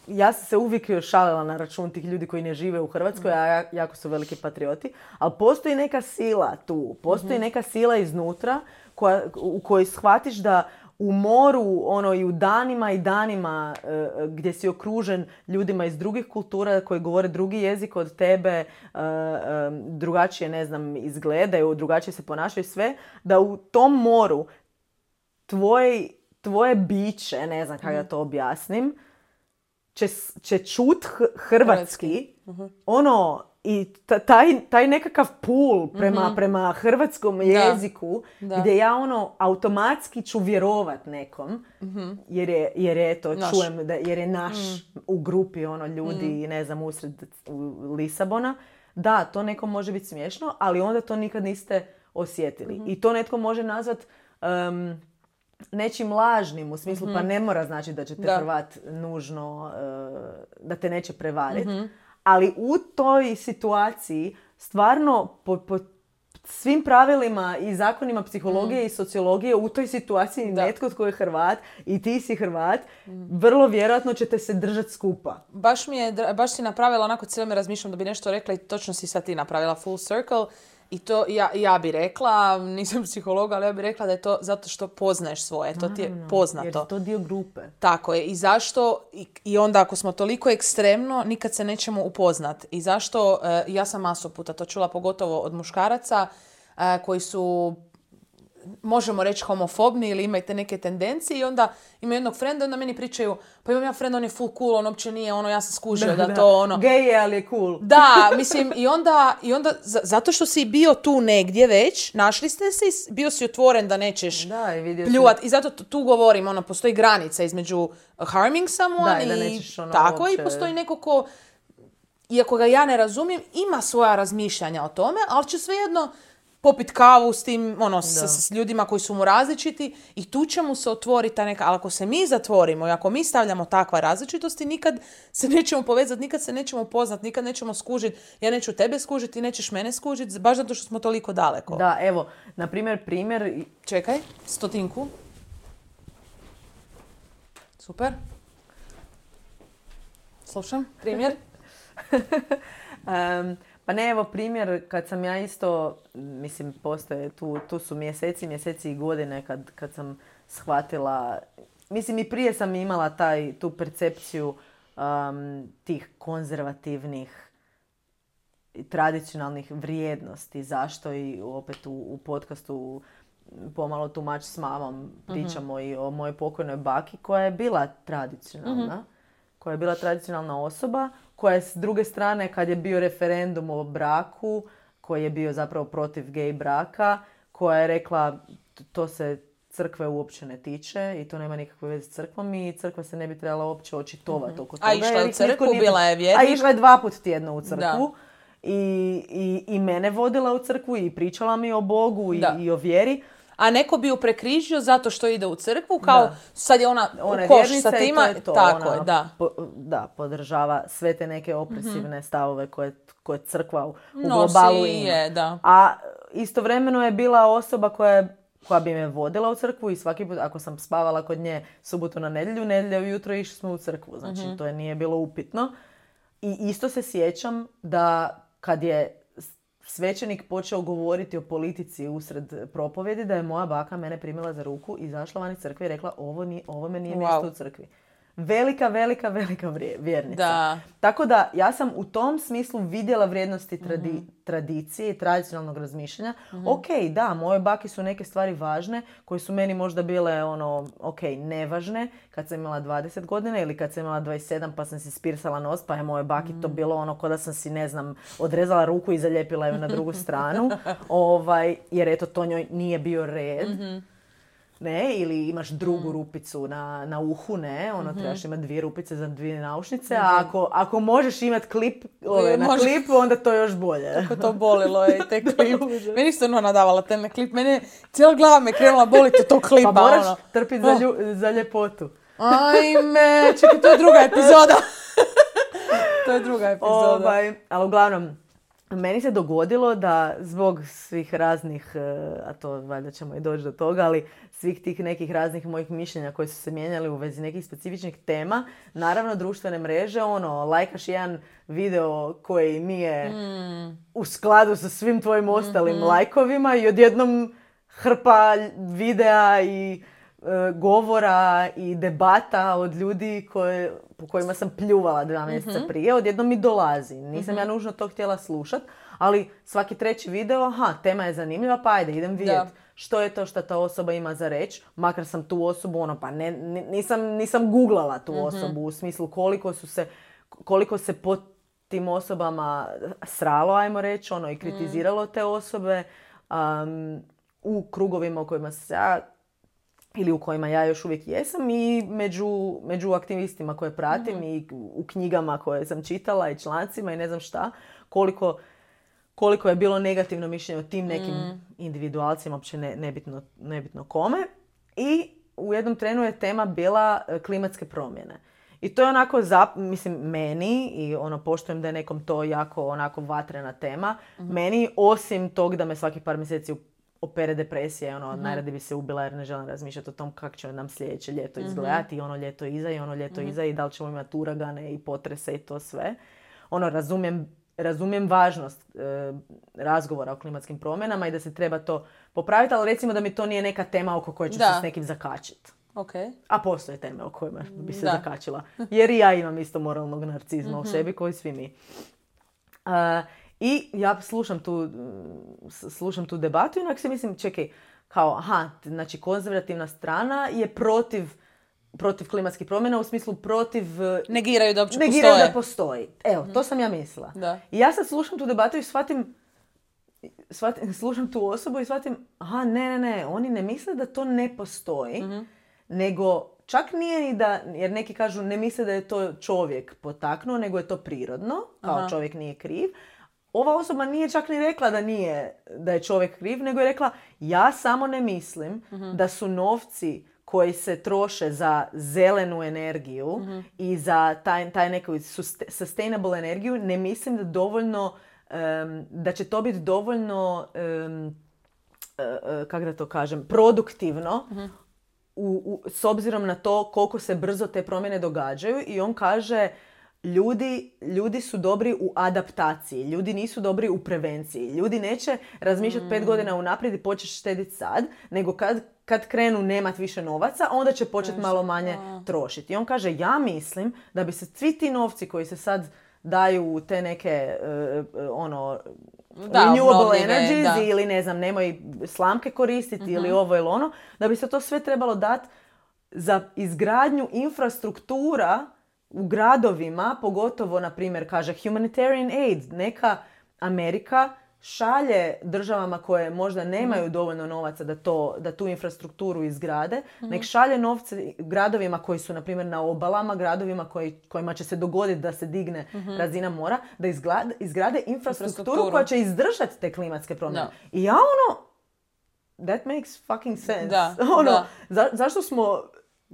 ja sam se uvijek šalila na račun tih ljudi koji ne žive u Hrvatskoj, mm-hmm. a jako su veliki patrioti. Ali postoji neka sila tu, postoji mm-hmm. neka sila iznutra koja, u kojoj shvatiš da u moru, ono, i u danima i danima uh, gdje si okružen ljudima iz drugih kultura koji govore drugi jezik od tebe, uh, um, drugačije, ne znam, izgledaju, drugačije se ponašaju, sve, da u tom moru tvoje, tvoje biće, ne znam kako da to objasnim, će, će čut hrvatski, uh-huh. ono, i taj, taj nekakav pul prema, mm-hmm. prema hrvatskom jeziku, da. Da. Gdje ja ono automatski ću vjerovat nekom, mm-hmm. jer je, jer je to, naš. čujem, da, jer je naš mm. u grupi ono ljudi, mm. ne znam, usred Lisabona. Da, to nekom može biti smiješno, ali onda to nikad niste osjetili. Mm-hmm. I to netko može nazvat um, nečim lažnim, u smislu, mm-hmm. pa ne mora znači da će te da. Hrvat nužno, uh, da te neće prevariti. Mm-hmm. Ali u toj situaciji stvarno po, po svim pravilima i zakonima psihologije mm. i sociologije u toj situaciji da. netko tko je Hrvat i ti si Hrvat, mm. vrlo vjerojatno ćete se držati skupa. Baš mi je, baš si napravila onako, cijelo me razmišljam da bi nešto rekla i točno si sad ti napravila full circle. I to ja, ja bi rekla, nisam psihologa, ali ja bi rekla da je to zato što poznaješ svoje, to ti je Naravno, poznato. jer je to dio grupe. Tako je. I zašto, i, i onda ako smo toliko ekstremno, nikad se nećemo upoznat. I zašto, e, ja sam masu puta to čula, pogotovo od muškaraca, e, koji su, možemo reći, homofobni ili imaju te neke tendencije i onda imaju jednog frenda i onda meni pričaju, pa imam ja frenda, on je full cool, on uopće nije, ono, ja sam skužio da, da to, ono... Gej je, ali je cool. Da, mislim, i onda, i onda z- zato što si bio tu negdje već, našli ste se i bio si otvoren da nećeš Da, i vidio pljuvat. si... I zato t- tu govorim, ono, postoji granica između harming someone Da, i da i nećeš, ono, tako, uopće- i postoji neko ko, iako ga ja ne razumijem, ima svoja razmišljanja o tome, ali će svejedno popit kavu s tim, ono, s, Da. s ljudima koji su mu različiti i tu će mu se otvoriti ta neka, ali ako se mi zatvorimo i ako mi stavljamo takva različitosti, nikad se nećemo povezati, nikad se nećemo poznat, nikad nećemo skužiti, ja neću tebe skužiti, ti nećeš mene skužiti, baš zato što smo toliko daleko. Da, evo, na primjer, primjer... Čekaj, stotinku. Super. Slušam, primjer. Um, pa ne, evo primjer, kad sam ja isto, mislim, postoje, tu, tu su mjeseci, mjeseci i godine kad, kad sam shvatila, mislim i prije sam imala taj, tu percepciju um, tih konzervativnih i tradicionalnih vrijednosti. Zašto i opet u, u podcastu pomalo tumač s mamom pričamo mm-hmm. i o mojoj pokojnoj baki koja je bila tradicionalna. Mm-hmm. koja je bila tradicionalna osoba, koja je s druge strane, kad je bio referendum o braku, koji je bio zapravo protiv gay braka, koja je rekla to se crkve uopće ne tiče i to nema nikakve veze s crkvom i crkva se ne bi trebala uopće očitovati mm-hmm. oko toga. A išla je u crkvu, bila je vjernik. A išla je dva put tjedno u crkvu. Da. I, i, i mene vodila u crkvu i pričala mi o Bogu i, i o vjeri. A neko bi ju prekrižio zato što ide u crkvu, kao da. Sad je ona, ona u koš sa tima. To je to. Tako ona, je, da. Po, da, podržava sve te neke opresivne mm-hmm. stavove koje, koje crkva u, u Nosi globalu ima. Je, da. A istovremeno je bila osoba koja je koja bi me vodila u crkvu i svaki put ako sam spavala kod nje subotu na nedjelju, nedjelja ujutro išli smo u crkvu. Znači mm-hmm. to je nije bilo upitno. I isto se sjećam da kad je svećenik počeo govoriti o politici usred propovjedi, da je moja baka mene primila za ruku, izašla van iz crkve i rekla ovo, nije, ovo me nije wow. mjesto u crkvi. Velika, velika, velika vjernica. Da. Tako da ja sam u tom smislu vidjela vrijednosti tradi- mm-hmm. tradicije i tradicionalnog razmišljanja. Mm-hmm. Ok, da, moje baki su neke stvari važne koje su meni možda bile ono, ok, nevažne kad sam imala dvadeset godina ili kad sam imala dvadeset sedam pa sam si spirsala nos pa je moje baki mm-hmm. to bilo ono ko da sam si, ne znam, odrezala ruku i zalijepila ju na drugu stranu. ovaj, jer eto, to njoj nije bio red. Mm-hmm. Ne, ili imaš drugu mm. rupicu na, na uhu, ne, ono mm-hmm. trebaš imati dvije rupice za dvije naušnice, mm-hmm. a ako, ako možeš imati klip ove, na Može... klipu, onda to još bolje. Kako to bolilo je, te klip. Meni su ono nadavala te na klip, meni cijela glava me krenula boliti od tog klipa. Pa moraš ono. trpiti za, lju, za ljepotu. Ajme, čekaj, to je druga epizoda. To je druga epizoda. Ovaj, ali uglavnom, meni se dogodilo da zbog svih raznih, a to valjda ćemo i doći do toga, ali svih tih nekih raznih mojih mišljenja koji su se mijenjali u vezi nekih specifičnih tema, naravno društvene mreže, ono, lajkaš jedan video koji nije mm. u skladu sa svim tvojim ostalim mm-hmm. lajkovima i odjednom hrpa videa i e, govora i debata od ljudi koje, po kojima sam pljuvala dva mjeseca mm-hmm. prije, odjednom mi dolazi. Nisam mm-hmm. ja nužno to htjela slušat, ali svaki treći video, aha, tema je zanimljiva, pa ajde, idem vidjeti što je to što ta osoba ima za reći. Makar sam tu osobu, ono, pa ne, nisam, nisam googlala tu mm-hmm. osobu u smislu koliko su se, koliko se po tim osobama sralo, ajmo reći, ono, i kritiziralo mm. te osobe um, u krugovima u kojima se ja ili u kojima ja još uvijek jesam i među, među aktivistima koje pratim mm-hmm. i u knjigama koje sam čitala i člancima i ne znam šta, koliko, koliko je bilo negativno mišljenje o tim nekim mm. individualcima, uopće ne, nebitno, nebitno kome. I u jednom trenu je tema bila klimatske promjene. I to je onako, zap, mislim, meni, i ono, poštujem da je nekom to jako onako vatrena tema, mm-hmm. meni, osim tog da me svaki par mjeseci opere depresija, ono, mm-hmm. najradi bi se ubila jer ne želim razmišljati o tom kako će nam sljedeće ljeto izgledati, mm-hmm. i ono ljeto iza i ono ljeto mm-hmm. iza i da li ćemo imati uragane i potrese i to sve. Ono, razumijem razumijem važnost e, razgovora o klimatskim promjenama i da se treba to popraviti, ali recimo da mi to nije neka tema oko koje ću Da. se s nekim zakačiti. Okay. A postoje teme o kojima bi se Da. zakačila. Jer i ja imam isto moralnog narcizma mm-hmm. u sebi, koji svi mi. Uh, I ja slušam tu, slušam tu debatu i onak se mislim, čekaj, kao, aha, znači konzervativna strana je protiv, protiv klimatskih promjena, u smislu protiv... Negiraju da uopće negiraju postoje. da postoji. Evo, mm-hmm. to sam ja mislila. Da. I ja sad slušam tu debatu i shvatim, shvatim, slušam tu osobu i shvatim, aha, ne, ne, ne, oni ne misle da to ne postoji, mm-hmm. nego čak nije ni da, jer neki kažu ne misle da je to čovjek potaknuo, nego je to prirodno, kao Aha. čovjek nije kriv. Ova osoba nije čak ni rekla da nije, da je čovjek kriv, nego je rekla ja samo ne mislim uh-huh. da su novci koji se troše za zelenu energiju uh-huh. i za taj, taj neku sustainable energiju, ne mislim da dovoljno, um, da će to biti dovoljno, um, uh, uh, kako da to kažem, produktivno uh-huh. U, u, s obzirom na to koliko se brzo te promjene događaju. I on kaže ljudi, ljudi su dobri u adaptaciji, ljudi nisu dobri u prevenciji. Ljudi neće razmišljati mm. pet godina unaprijed i početi štediti sad, nego kad, kad krenu nemat više novaca, onda će početi malo manje a. trošiti. I on kaže ja mislim da bi se svi ti novci koji se sad daju u te neke uh, ono da, renewable energies da. ili ne znam, nemoj slamke koristiti uh-huh. ili ovo ili ono, da bi se to sve trebalo dati za izgradnju infrastruktura u gradovima, pogotovo, na primjer, kaže humanitarian aid. Neka Amerika šalje državama koje možda nemaju mm. dovoljno novaca da, to, da tu infrastrukturu izgrade, mm. nek šalje novce gradovima koji su, na primjer, na obalama, gradovima koji, kojima će se dogoditi da se digne mm-hmm. razina mora, da izglade, izgrade infrastrukturu, infrastrukturu koja će izdržati te klimatske promjene. No. I ja ono, that makes fucking sense. Da, ono, da. Za, zašto smo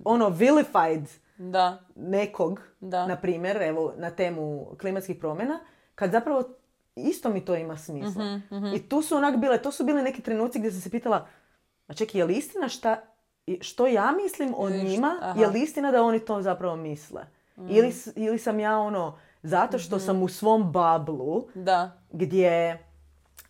ono vilified da. nekog, da. na primjer, evo, na temu klimatskih promjena, kad zapravo isto mi to ima smisla. Mm-hmm, mm-hmm. I tu su onak bile, to su bili neki trenuci gdje sam se pitala, a čekaj, je li istina šta, što ja mislim o njima, Aha. je li istina da oni to zapravo misle? Mm. Ili, ili sam ja ono, zato što mm-hmm. sam u svom bablu, da. gdje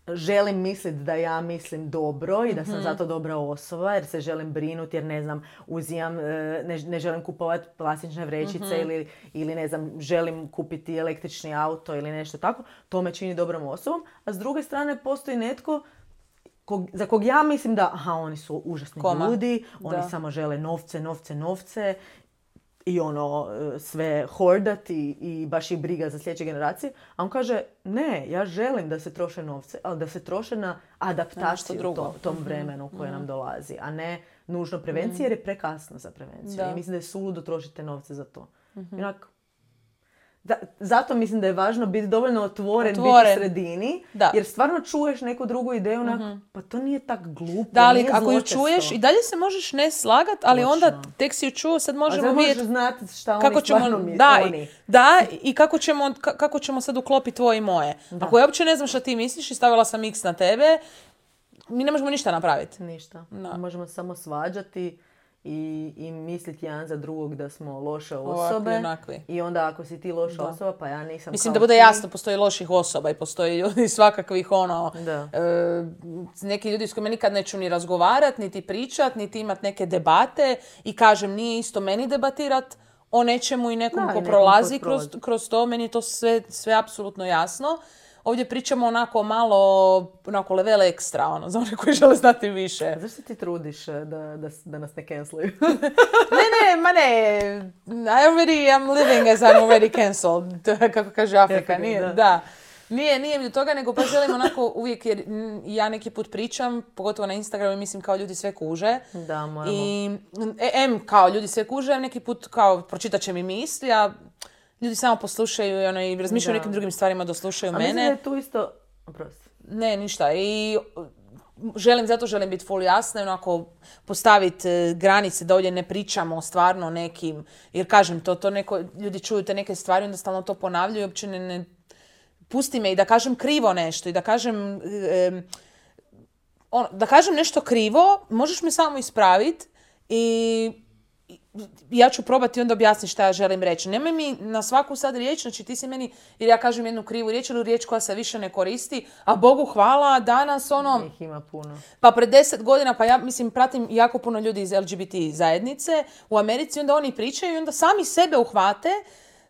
želim misliti da ja mislim dobro i da sam mm-hmm. zato dobra osoba, jer se želim brinuti, jer ne znam, uzimam, ne, ne želim kupovati plastične vrećice mm-hmm. ili, ili ne znam, želim kupiti električni auto ili nešto tako, to me čini dobrom osobom. A s druge strane postoji netko kog, za kog ja mislim da, aha, oni su užasni Koma. ljudi, oni da. samo žele novce, novce, novce i ono, sve hordat i, i baš ih briga za sljedeće generacije. A on kaže, ne, ja želim da se troše novce, ali da se troše na adaptaciju to, tom vremenu koje mm-hmm. nam dolazi, a ne nužno prevencije, mm-hmm. jer je prekasno za prevenciju. Da. I mislim da je suludo trošiti te novce za to. Mm-hmm. Inak, da, zato mislim da je važno biti dovoljno otvoren, otvoren. biti u sredini, da. jer stvarno čuješ neku drugu ideju, onak, mm-hmm. pa to nije tak glupo, da, ali nije ako ju zločesto. čuješ i dalje se možeš ne slagat, ali Točno. onda tek si ju čuo, sad možemo vidjeti... A sad možeš znati šta kako oni ćemo, stvarno mi, da, oni. Da, i kako ćemo, kako ćemo sad uklopiti tvoje i moje. Da. Ako ja uopće ne znam šta ti misliš i stavila sam X na tebe, mi ne možemo ništa napraviti. Ništa. Da. Možemo samo svađati i, i misliti jedan za drugog da smo loše osobe. Ovakvi, I onda ako si ti loša da. osoba, pa ja nisam Mislim kao da bude ti. jasno, postoji loših osoba i postoji ljudi svakakvih ono... Da. E, neki ljudi s kojima nikad neću ni razgovarat, niti pričat, niti imat neke debate. I kažem, nije isto meni debatirat o nečemu i nekom da, ko i prolazi kroz, kroz to. Meni je to sve, sve apsolutno jasno. Ovdje pričamo onako malo, onako level ekstra, ono, za one koji žele znati više. Zašto ti trudiš da, da, da nas ne canceluju? ne, ne, ma ne. I already am living as I'm already cancelled. Kako kaže Afrika. Nije, da. da. Nije, nije mi do toga, nego pa želim onako uvijek, jer ja neki put pričam, pogotovo na Instagramu i mislim kao ljudi sve kuže. Da, moramo. I em, kao ljudi sve kuže, neki put kao pročitat će mi misli, a ljudi samo poslušaju i, ono, i razmišljaju o nekim drugim stvarima da slušaju a mene. A mislim da je tu isto... Oprosti. Ne, ništa. I želim, zato želim biti full jasna i onako postaviti granice da ovdje ne pričamo stvarno nekim, jer kažem to, to neko, ljudi čuju te neke stvari, onda stalno to ponavljaju i uopće ne, ne pusti me i da kažem krivo nešto i da kažem e, on, da kažem nešto krivo, možeš me samo ispraviti i ja ću probati onda objasniti šta ja želim reći. Nemoj mi na svaku sad riječ, znači ti si meni, jer ja kažem jednu krivu riječ ili riječ koja se više ne koristi, a Bogu hvala, danas ono... Ih ima puno. Pa pred deset godina, pa ja mislim, pratim jako puno ljudi iz L G B T zajednice u Americi, onda oni pričaju i onda sami sebe uhvate,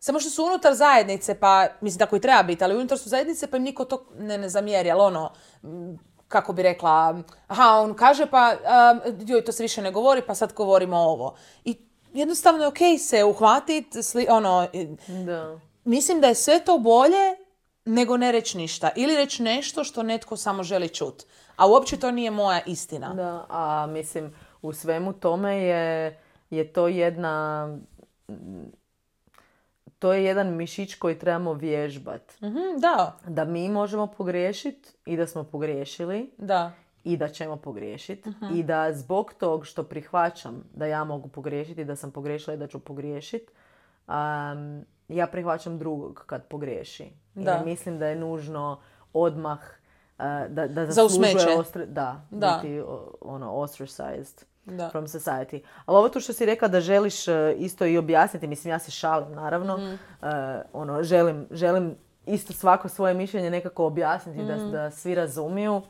samo što su unutar zajednice, pa mislim tako i treba biti, ali unutar su zajednice pa im niko to ne, ne zamjeri, ali ono... kako bi rekla, aha, on kaže pa, um, joj, to se više ne govori, pa sad govorimo ovo. I jednostavno je okej se uhvatiti, sli, ono, Da. mislim da je sve to bolje nego ne reći ništa. Ili reći nešto što netko samo želi čuti. A uopće to nije moja istina. Da, a mislim, u svemu tome je, je to jedna... To je jedan mišić koji trebamo vježbati. Mm-hmm, da. Da mi možemo pogriješiti i da smo pogriješili. Da. I da ćemo pogriješiti. Mm-hmm. I da zbog tog što prihvaćam da ja mogu pogriješiti, da sam pogriješila i da ću pogriješiti, um, ja prihvaćam drugog kad pogriješi. I Da. ne mislim da je nužno odmah uh, da, da Za zaslužuje usmeće. ostre, da, Da. biti o, ono, ostracized. Da. From society. Ali ovo to što si rekla da želiš uh, isto i objasniti, mislim ja se šalim naravno, mm. uh, ono, želim, želim isto svako svoje mišljenje nekako objasniti mm. da, da svi razumiju,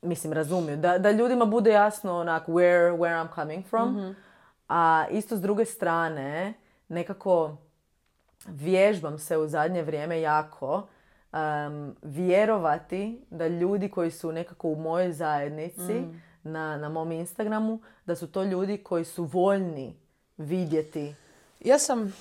mislim razumiju, da, da ljudima bude jasno onak where, where I'm coming from, mm-hmm. a isto s druge strane nekako vježbam se u zadnje vrijeme jako um, vjerovati da ljudi koji su nekako u mojoj zajednici mm. Na, na mom Instagramu, da su to ljudi koji su voljni vidjeti Ja sam...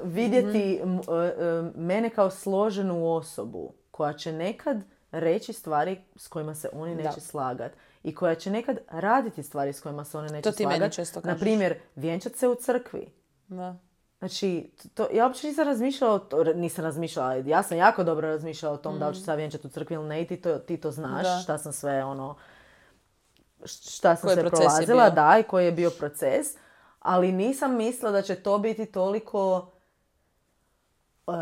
vidjeti mm-hmm. mene kao složenu osobu koja će nekad reći stvari s kojima se oni neće da. slagati i koja će nekad raditi stvari s kojima se oni neće to ti slagati. Meni često kažeš. Na primjer, vjenčat se u crkvi. Da. Znači, to, ja uopće nisam razmišljala, to, nisam razmišljala, ja sam jako dobro razmišljala o tom mm. da li ću se vjenčati u crkvi ili ne i ti to, ti to znaš, da. šta sam sve ono... šta sam se prolazila, da, i koji je bio proces, ali nisam mislila da će to biti toliko uh,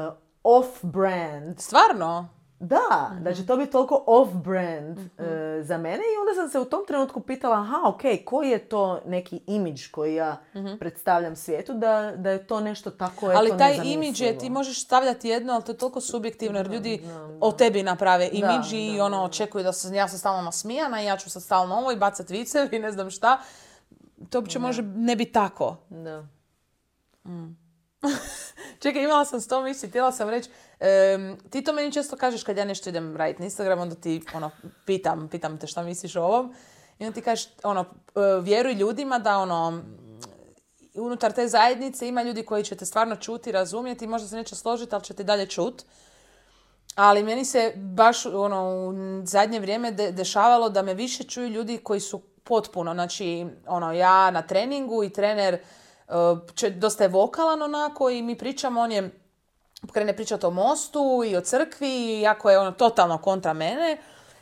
off-brand. Stvarno? Da, mm-hmm. da će to biti toliko off-brand mm-hmm. uh, za mene i onda sam se u tom trenutku pitala, aha, ok, koji je to neki imidž koji ja mm-hmm. predstavljam svijetu, da, da je to nešto tako eto ali taj imidž je, ti možeš stavljati jedno, ali to je toliko subjektivno, jer ljudi da, da, da. o tebi naprave imidž i ono, očekuju da se, ja sam stalno nasmijana i ja ću sad stalno ovo i bacat vicevi i ne znam šta. To uopće može ne biti tako. Da. Mm. Čekaj, imala sam sto misli, htjela sam reći, um, ti to meni često kažeš kad ja nešto idem raditi na Instagram, onda ti ono, pitam, pitam te šta misliš o ovom i onda ti kažeš, ono, vjeruj ljudima da ono, unutar te zajednice ima ljudi koji će te stvarno čuti, razumjeti, možda se neće složiti, ali će te dalje čuti. Ali meni se baš ono, u zadnje vrijeme de- dešavalo da me više čuju ljudi koji su potpuno, znači ono, ja na treningu i trener Če, dosta je vokalan onako i mi pričamo, on je krene pričati o mostu i o crkvi, iako je ono totalno kontra mene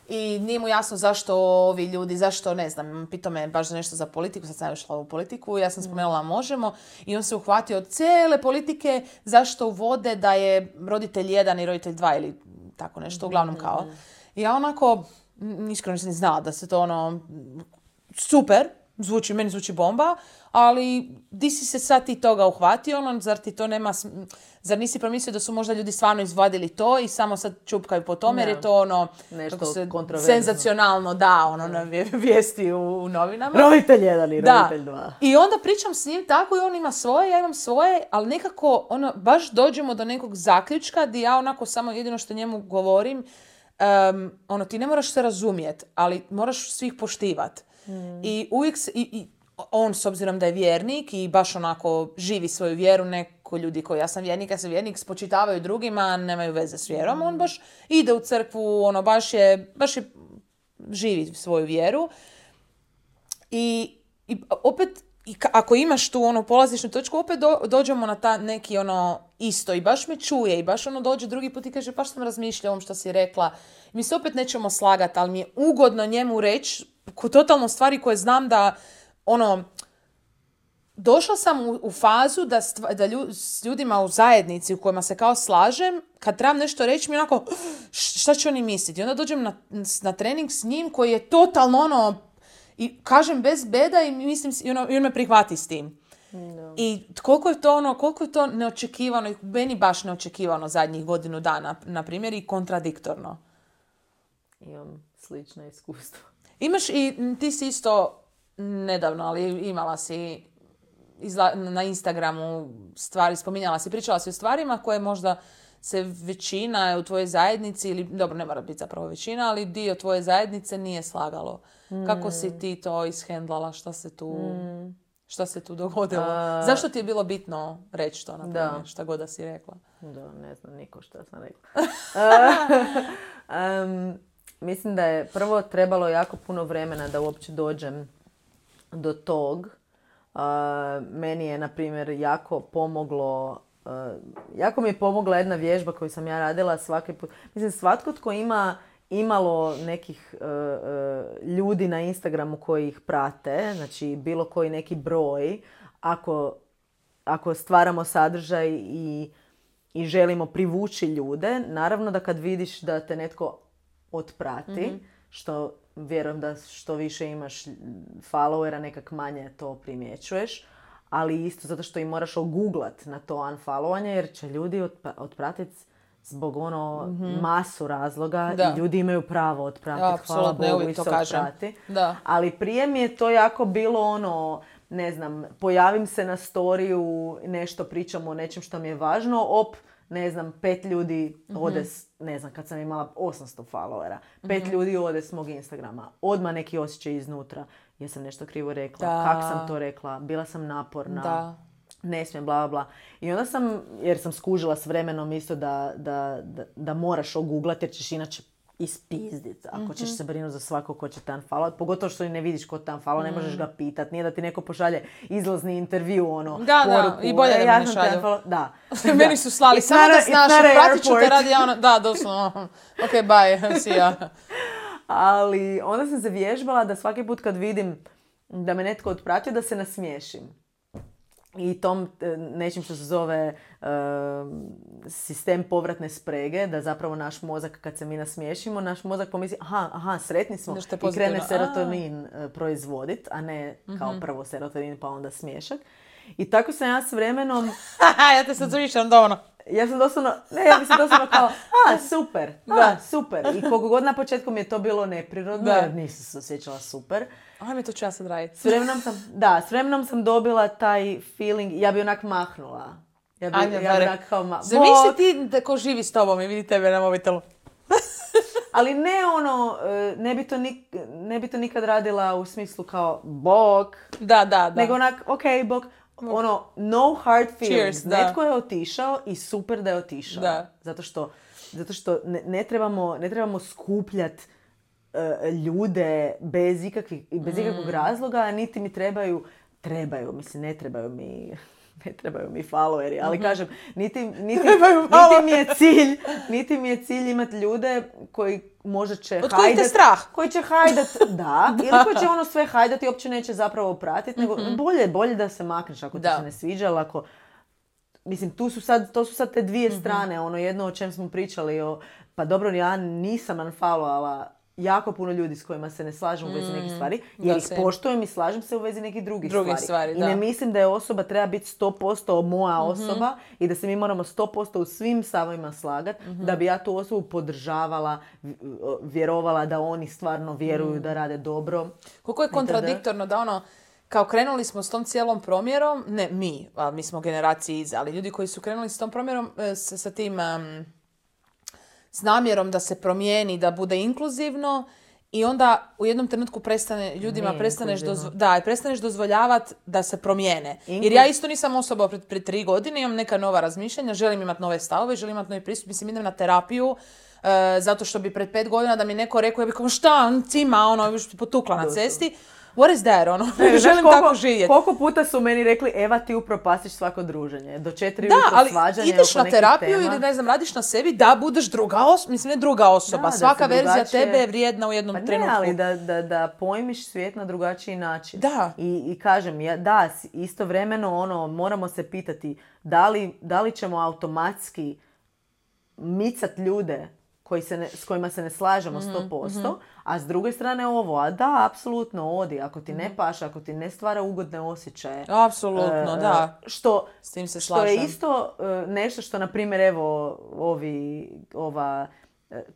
i nije mu jasno zašto ovi ljudi, zašto ne znam, pitao me baš za nešto za politiku, sad sam išla u politiku, ja sam spomenula Možemo i on se uhvatio od cijele politike zašto uvode da je roditelj jedan i roditelj dva ili tako nešto, uglavnom kao. I ja onako, iskreno nisam ni znala da se to ono, super, zvuči, meni zvuči bomba, ali di si se sad ti toga uhvatio, ono, zar ti to nema, zar nisi promislio da su možda ljudi stvarno izvadili to i samo sad čupkaju po tome, jer je to ono, nešto se, senzacionalno, da, ono, na vijesti u, u novinama. Roditelj jedan i roditelj dva. I onda pričam s njim tako i on ima svoje, ja imam svoje, ali nekako, ono, baš dođemo do nekog zaključka gdje ja onako samo jedino što njemu govorim, um, ono, ti ne moraš se razumjeti, ali moraš svih poštivati. Mm. I uvijek se, i, i on s obzirom da je vjernik i baš onako živi svoju vjeru, neko ljudi koji ja sam vjernik, ja sam vjernik, spočitavaju drugima, nemaju veze s vjerom, mm. on baš ide u crkvu, ono baš je, baš je živi svoju vjeru. I, i opet, i ka, ako imaš tu ono polazišnu točku, opet do, dođemo na ta neki ono isto i baš me čuje i baš ono dođe drugi put i kaže baš sam razmišljala o ovom što si rekla. Mi se opet nećemo slagati, ali mi je ugodno njemu reći totalno stvari koje znam da ono, došla sam u, u fazu da, stva, da lju, s ljudima u zajednici u kojima se kao slažem, kad trebam nešto reći mi onako, šta će oni misliti? I onda dođem na, na trening s njim koji je totalno ono, i kažem bez beda i mislim, i, ono, i on me prihvati s tim. No. I koliko je to ono, koliko je to neočekivano, i meni baš neočekivano zadnjih godinu dana, na primjer, i kontradiktorno. Imam slična iskustva. Imaš i, ti si isto nedavno, ali imala si izla, na Instagramu stvari, spominjala si, pričala si o stvarima koje možda se većina u tvojoj zajednici, ili dobro, ne mora biti zapravo većina, ali dio tvoje zajednice nije slagalo. Mm. Kako si ti to ishendlala? Šta se tu, mm. šta se tu dogodilo? A... Zašto ti je bilo bitno reći to, na primjer, da. Šta god da si rekla? Da, ne znam niko šta sam rekla. um, mislim da je prvo trebalo jako puno vremena da uopće dođem do tog. Uh, meni je, na primjer, jako pomoglo Uh, jako mi je pomogla jedna vježba koju sam ja radila svaki put. Mislim, svatko tko ima imalo nekih uh, uh, ljudi na Instagramu koji ih prate, znači bilo koji neki broj, ako, ako stvaramo sadržaj i, i želimo privući ljude, naravno da kad vidiš da te netko otprati, mm-hmm. što vjerujem da što više imaš followera, nekak manje to primjećuješ, ali isto zato što i moraš oguglat na to unfollowanje, jer će ljudi otpratiti zbog ono mm-hmm. masu razloga da. I ljudi imaju pravo otpratiti, ja, hvala Bogu i se otprati. Ali prije mi je to jako bilo ono, ne znam, pojavim se na storiju, nešto pričam o nečem što mi je važno, op, ne znam, pet ljudi ode, mm-hmm. ne znam, kad sam imala osamsto followera, pet mm-hmm. ljudi ode s mog Instagrama, odmah neki osjećaj iznutra. Jesam nešto krivo rekla, da. Kako sam to rekla, bila sam naporna, da. Ne smijem, bla, bla. I onda sam, jer sam skužila s vremenom isto da, da, da, da moraš oguglati, jer ćeš inače ispizdit. Ako mm-hmm. ćeš se brinuti za svako ko će te unfollowat, pogotovo što ne vidiš ko te unfollow, mm. ne možeš ga pitat. Nije da ti neko pošalje izlazni intervju, ono, da, poruku. Da, i bolje e, da mi ne šalju. Da. Meni su slali, samo da znaš, pratit ću te radi, ja ono, da, doslovno, ok, bye, see ya. Ali onda sam se vježbala da svaki put kad vidim da me netko otpratio, da se nasmiješim. I tom nečim što se zove uh, sistem povratne sprege, da zapravo naš mozak, kad se mi nasmiješimo, naš mozak pomisli, aha, aha, sretni smo, i krene serotonin a. proizvodit, a ne kao mm-hmm. prvo serotonin pa onda smiješak. I tako sam ja s vremenom... ja te sad zvišam dovoljno. Ja sam doslovno, ne, ja mislim doslovno kao, a, super, a, super. I koliko god na početku mi je to bilo neprirodno, da. Jer nisam se osjećala super. Ajme, to ću ja sad raditi. S vremenom sam, da, s vremenom sam dobila taj feeling, ja bi onak mahnula. Ja bi, Ajme, ja bi onak kao ma... Zamisli ti da ko živi s tobom i vidi tebe na mobitelu. Ali ne ono, ne bi, to nik, ne bi to nikad radila u smislu kao, bok. Da, da, da. Nego onak, ok, bok. Ono, no hard feelings. Cheers, netko je otišao i super da je otišao. Da. Zato što, zato što ne, ne trebamo, ne trebamo skupljati uh, ljude bez, ikakvih, bez mm. ikakvog razloga, niti mi trebaju, trebaju, mislim, ne trebaju mi... Ne trebaju mi followeri, ali mm-hmm. kažem, niti, niti, niti, mi je cilj, niti mi je cilj imati ljude koji možda će hajdat... Od kojih te strah? Koji će hajdat, da, ili koji će ono sve hajdati i uopće neće zapravo pratiti, nego mm-hmm. bolje, bolje da se makneš ako ti se ne sviđa, ali ako... Mislim, tu su sad, to su sad te dvije mm-hmm. strane, ono jedno o čem smo pričali, o, pa dobro, ja nisam unfollowala jako puno ljudi s kojima se ne slažem u vezi nekih stvari, jer ih poštujem i slažem se u vezi nekih drugih Drugi stvari. stvari I ne mislim da je osoba treba biti sto posto moja osoba mm-hmm. i da se mi moramo sto posto u svim stavovima slagati mm-hmm. da bi ja tu osobu podržavala, vjerovala da oni stvarno vjeruju mm. da rade dobro. Koliko je kontradiktorno da ono, kao krenuli smo s tom cijelom promjerom, ne mi, a mi smo generaciji iza, ali ljudi koji su krenuli s tom promjerom, sa, sa tim... Um, s namjerom da se promijeni, da bude inkluzivno i onda u jednom trenutku prestane, ljudima Nije prestaneš, dozvo, da, prestaneš dozvoljavati da se promijene. Inkluz... Jer ja isto nisam osoba pred, pred tri godine, imam neka nova razmišljanja, želim imati nove stavove, želim imati novi pristup, mislim idem na terapiju, uh, zato što bi pred pet godina da mi neko rekao, ja bih kao šta, cima, ono, još potukla na cesti. What is that, ono? Ne, želim koliko, tako živjeti. Koliko puta su meni rekli, Eva, ti upropastiš svako druženje. Do četiri ujutro svađanje. Da, ali ideš na terapiju tema. Ili ne znam, radiš na sebi da budeš druga osoba. Mislim, ne druga osoba. Da, Svaka verzija drugačije... tebe je vrijedna u jednom pa ne, trenutku. ali da, da, da pojmiš svijet na drugačiji način. Da. I, i kažem, ja, da, istovremeno ono, moramo se pitati da li, da li ćemo automatski micat ljude koji se ne, s kojima se ne slažemo sto posto, mm-hmm. a s druge strane ovo, a da, apsolutno odi, ako ti ne paše, ako ti ne stvara ugodne osjećaje. Apsolutno, uh, da. Što, s tim se što slažem. je isto uh, nešto što, na primjer, evo, ovi, ova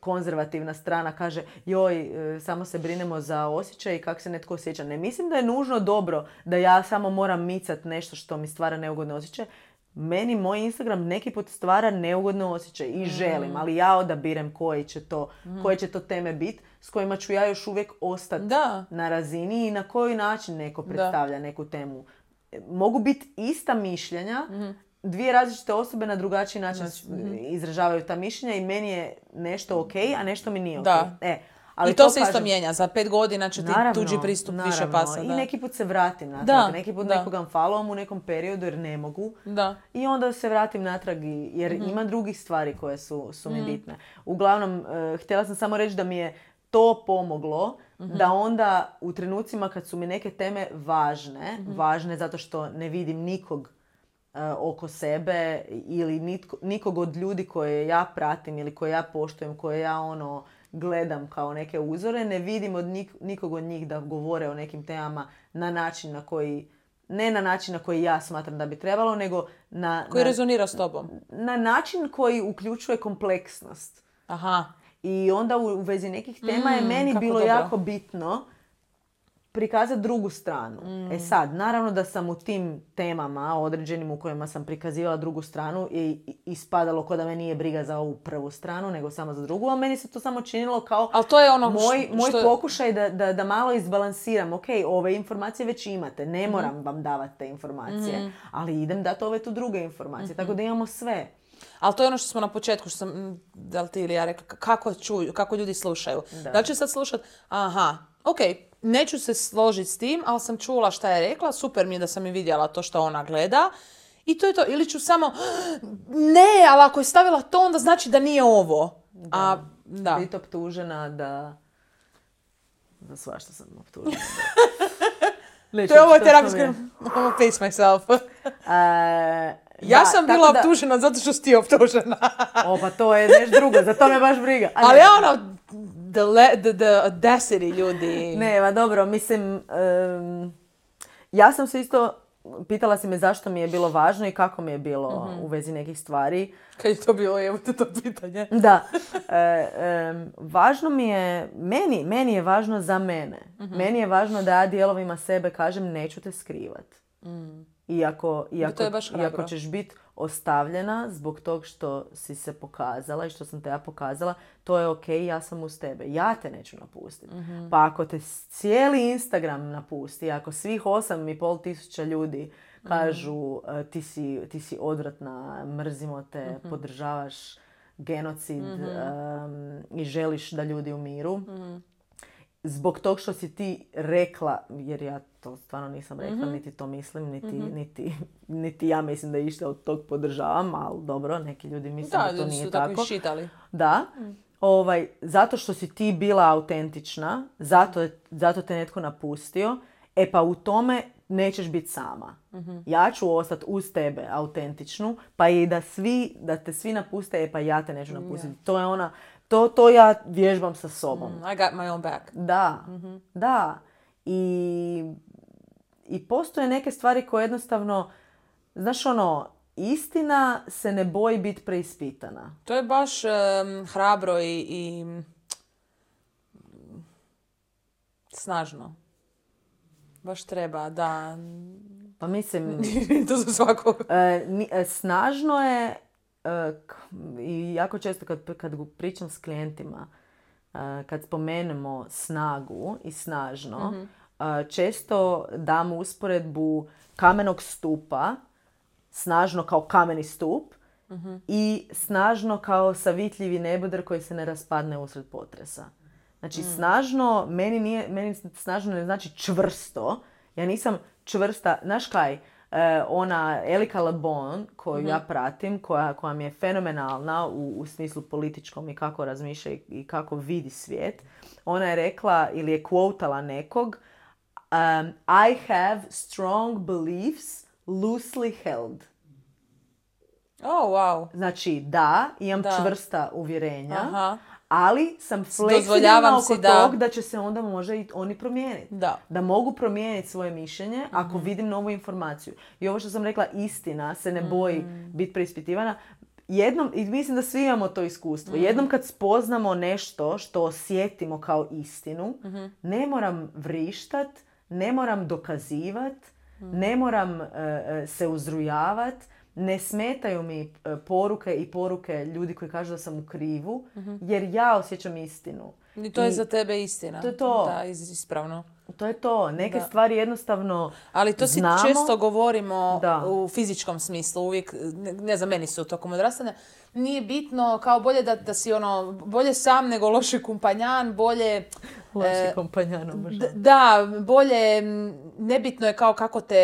konzervativna strana kaže joj, samo se brinemo za osjećaj i kako se netko osjeća. Ne mislim da je nužno dobro da ja samo moram micat nešto što mi stvara neugodne osjećaje. Meni moj Instagram neki put stvara neugodne osjećaje i želim, ali ja odabirem koji će to, mm. koje će to teme biti s kojima ću ja još uvijek ostati na razini i na koji način neko predstavlja da. neku temu. Mogu biti ista mišljenja, mm. dvije različite osobe na drugačiji način znači, izražavaju ta mišljenja i meni je nešto ok, a nešto mi nije ok. Da. E, ali I to, to se kažem, isto mijenja. Za pet godina će ti naravno, tuđi pristup naravno. više pasa. I da. neki put se vratim natrag. Da. Neki put da. nekoga followam u nekom periodu jer ne mogu. Da. I onda se vratim natrag jer mm-hmm. ima drugih stvari koje su, su mi mm. bitne. Uglavnom, uh, htjela sam samo reći da mi je to pomoglo mm-hmm. da onda u trenucima kad su mi neke teme važne, mm-hmm. važne zato što ne vidim nikog oko sebe ili nitko, nikog od ljudi koje ja pratim ili koje ja poštujem, koje ja ono gledam kao neke uzore, ne vidim od nik, nikog od njih da govore o nekim temama na način na koji, ne na način na koji ja smatram da bi trebalo, nego na... Koji na, rezonira s tobom. Na način koji uključuje kompleksnost. Aha. I onda u, u vezi nekih tema mm, je meni bilo dobro. jako bitno prikazati drugu stranu. Mm. E sad, naravno da sam u tim temama određenim u kojima sam prikazivala drugu stranu i ispadalo ko da me nije briga za ovu prvu stranu, nego samo za drugu, a meni se to samo činilo kao ali to je ono moj, što... moj pokušaj da, da, da malo izbalansiram. Ok, ove informacije već imate, ne mm-hmm. moram vam davati te informacije, mm-hmm. ali idem dati ove tu druge informacije, mm-hmm. tako da imamo sve. Ali to je ono što smo na početku, što sam, da li ti ili ja rekla, kako čuju, kako ljudi slušaju. Da, da li će sad slušati, aha, ok, neću se složiti s tim, ali sam čula šta je rekla, super mi je da sam i vidjela to što ona gleda. I to je to. Ili ću samo, ne, ali ako je stavila to, onda znači da nije ovo. Da. A, da. Biti optužena da... Za svašta sam optužena. Da... to je ovo terapijsko... I'm face myself. uh, ja da, sam bila da... optužena zato što si ti optužena. o, pa to je nešto drugo, za to me baš briga. A ali ja ono... The, le, the, the audacity, ljudi. Ne, ma dobro, mislim, um, ja sam se isto, pitala si me zašto mi je bilo važno i kako mi je bilo mm-hmm. u vezi nekih stvari. Kad je to bilo, evo te to pitanje. Da. E, um, važno mi je, meni, meni je važno za mene. Mm-hmm. Meni je važno da ja dijelovima sebe kažem neću te skrivat. Mm. Iako, iako, iako ćeš biti ostavljena zbog tog što si se pokazala i što sam te ja pokazala, to je ok, ja sam uz tebe. Ja te neću napustiti. Mm-hmm. Pa ako te cijeli Instagram napusti, ako svih osam i pol tisuća ljudi kažu mm-hmm. ti, si, ti si odvratna, mrzimo te, mm-hmm. podržavaš genocid mm-hmm. um, i želiš da ljudi umiru, mm-hmm. zbog tog što si ti rekla, jer ja to stvarno nisam rekla, mm-hmm. niti to mislim, niti, mm-hmm. niti, niti ja mislim da išta od tog podržavam, ali dobro, neki ljudi misle da, da to nije su tako. tako iščitali. Da, mm. ovaj, zato što si ti bila autentična, zato, zato te netko napustio, e pa u tome nećeš biti sama. Mm-hmm. Ja ću ostati uz tebe autentičnu, pa i da svi, da te svi napuste, e pa ja te neću napustiti. Yeah. To je ona... To, to ja vježbam sa sobom. Mm, I got my own back. Da, mm-hmm. da. I, I postoje neke stvari koje jednostavno, znaš ono, istina se ne boji biti preispitana. To je baš um, hrabro i, i snažno. Baš treba, da. Pa mislim... to za svakog. E, ni, e, snažno je... I jako često kad, kad pričam s klijentima, kad spomenemo snagu i snažno, mm-hmm. često dam usporedbu kamenog stupa, snažno kao kameni stup, mm-hmm. i snažno kao savitljivi nebodar koji se ne raspadne usred potresa. Znači, mm. snažno, meni, nije, meni snažno ne znači čvrsto. Ja nisam čvrsta, znaš kaj? E, ona Elika LeBon koju mm-hmm. ja pratim, koja, koja mi je fenomenalna u, u smislu političkom i kako razmišlja i, i kako vidi svijet, ona je rekla ili je quotala nekog um, I have strong beliefs loosely held. Oh, wow. Znači, da, imam da. čvrsta uvjerenja, Aha. ali sam fleksibilna Dozvoljavam oko si da- tog da će se onda možda i oni promijeniti. Da. Da mogu promijeniti svoje mišljenje ako vidim novu informaciju. I ovo što sam rekla, istina se ne boji biti preispitivana. Jednom, i mislim da svi imamo to iskustvo, jednom kad spoznamo nešto što osjetimo kao istinu, ne moram vrištat, ne moram dokazivat, ne moram e, e, se uzrujavat, ne smetaju mi e, poruke i poruke ljudi koji kažu da sam u krivu, jer ja osjećam istinu. I to je I za tebe istina. to je to. Da, is- ispravno. to je to. Neke Da. stvari jednostavno Ali to si znamo. često govorimo Da. u fizičkom smislu, uvijek, ne, ne znam, meni su tokom odrastanja, nije bitno, kao bolje da, da si ono, bolje sam nego loši kompanjan, bolje... Loši e, kompanjan obožavam. D- Da, bolje, m, nebitno je kao kako te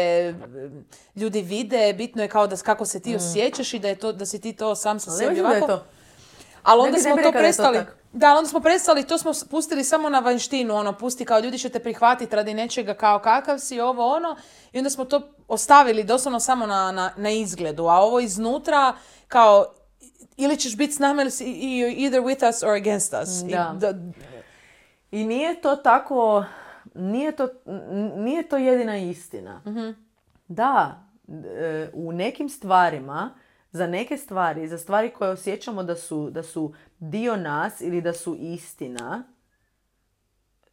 m, ljudi vide, bitno je kao da kako se ti osjećaš i da je to da si ti to sam sa Ali sebi mislim da je ovako. to. Ali Ne onda bi- ne smo bi to rekla da je to prestali. tako. Da, onda smo prestali, to smo s- pustili samo na vanštinu, ono, pusti kao ljudi će te prihvatiti radi nečega kao kakav si, ovo ono, i onda smo to ostavili doslovno samo na, na, na izgledu, a ovo iznutra kao ili ćeš biti s nama ili si you're either with us or against us. I Da. da- I nije to tako, nije to, n- nije to jedina istina. Da, e, u nekim stvarima, za neke stvari, za stvari koje osjećamo da su, da su dio nas ili da su istina,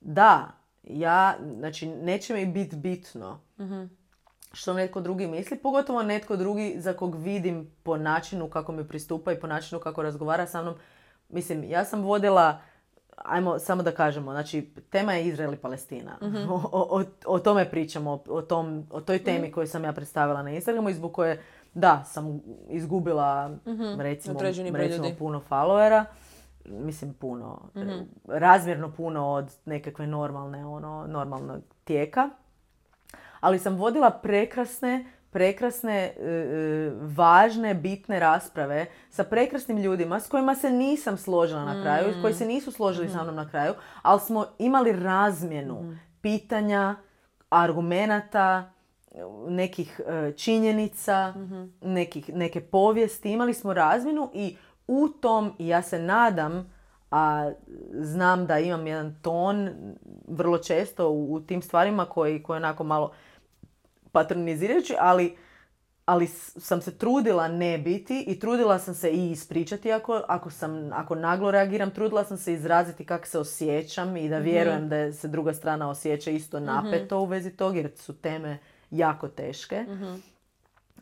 da, ja, znači, neće mi biti bitno što netko drugi misli, pogotovo netko drugi za kog vidim po načinu kako mi pristupa i po načinu kako razgovara sa mnom. Mislim, ja sam vodila, ajmo samo da kažemo, znači tema je Izrael i Palestina. O, o, o tome pričamo, o, tom, o toj temi koju sam ja predstavila na Instagramu i zbog koje, da, sam izgubila recimo, Određeni broj recimo ljudi. puno followera. Mislim puno, razmjerno puno od nekakve normalne, ono, normalnog tijeka. Ali sam vodila prekrasne, prekrasne, e, e, važne, bitne rasprave sa prekrasnim ljudima s kojima se nisam složila na kraju, koji se nisu složili sa mnom na kraju, ali smo imali razmjenu pitanja, argumenata, nekih e, činjenica, nekih, neke povijesti. Imali smo razmjenu i u tom, i ja se nadam, a znam da imam jedan ton vrlo često u, u tim stvarima koji, koji onako malo patronizirajući, ali, ali s- sam se trudila ne biti i trudila sam se i ispričati ako, ako, sam, ako naglo reagiram, trudila sam se izraziti kako se osjećam i da vjerujem da je- se druga strana osjeća isto napeto u vezi tog jer su teme jako teške.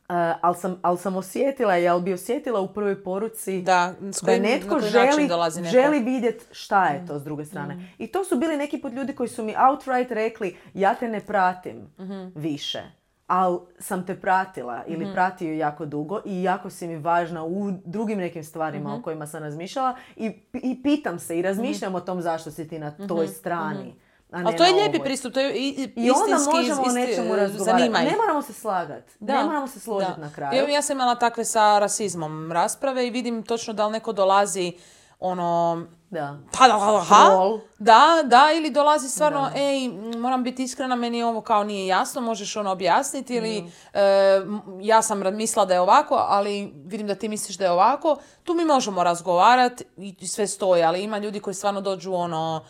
Uh, ali, sam, ali sam osjetila, jel bi osjetila u prvoj poruci Da, s da kojim, netko na koji način želi, dolazi neko. želi vidjeti šta je to s druge strane. I to su bili neki put ljudi koji su mi outright rekli ja te ne pratim više, ali sam te pratila ili pratio jako dugo i jako si mi važna u drugim nekim stvarima o kojima sam razmišljala i, i pitam se i razmišljam o tom zašto si ti na toj strani. A ne Ali to je na lijepi ovoj. pristup, to je i, i, I onda istinski, možemo o isti- nečemu razgovarati. zanima ih. Ne moramo se slagati. Ne moramo se složiti Da. na kraju. Evo, ja sam imala takve sa rasizmom rasprave i vidim točno da li neko dolazi ono... Da. Pa da, da, ha? Troll. Da, da, ili dolazi stvarno, ej, m, moram biti iskrena, meni ovo kao nije jasno, možeš ono objasniti ili e, m, ja sam ra- mislila da je ovako, ali vidim da ti misliš da je ovako. Tu mi možemo razgovarati i i sve stoji, ali ima ljudi koji stvarno dođu ono,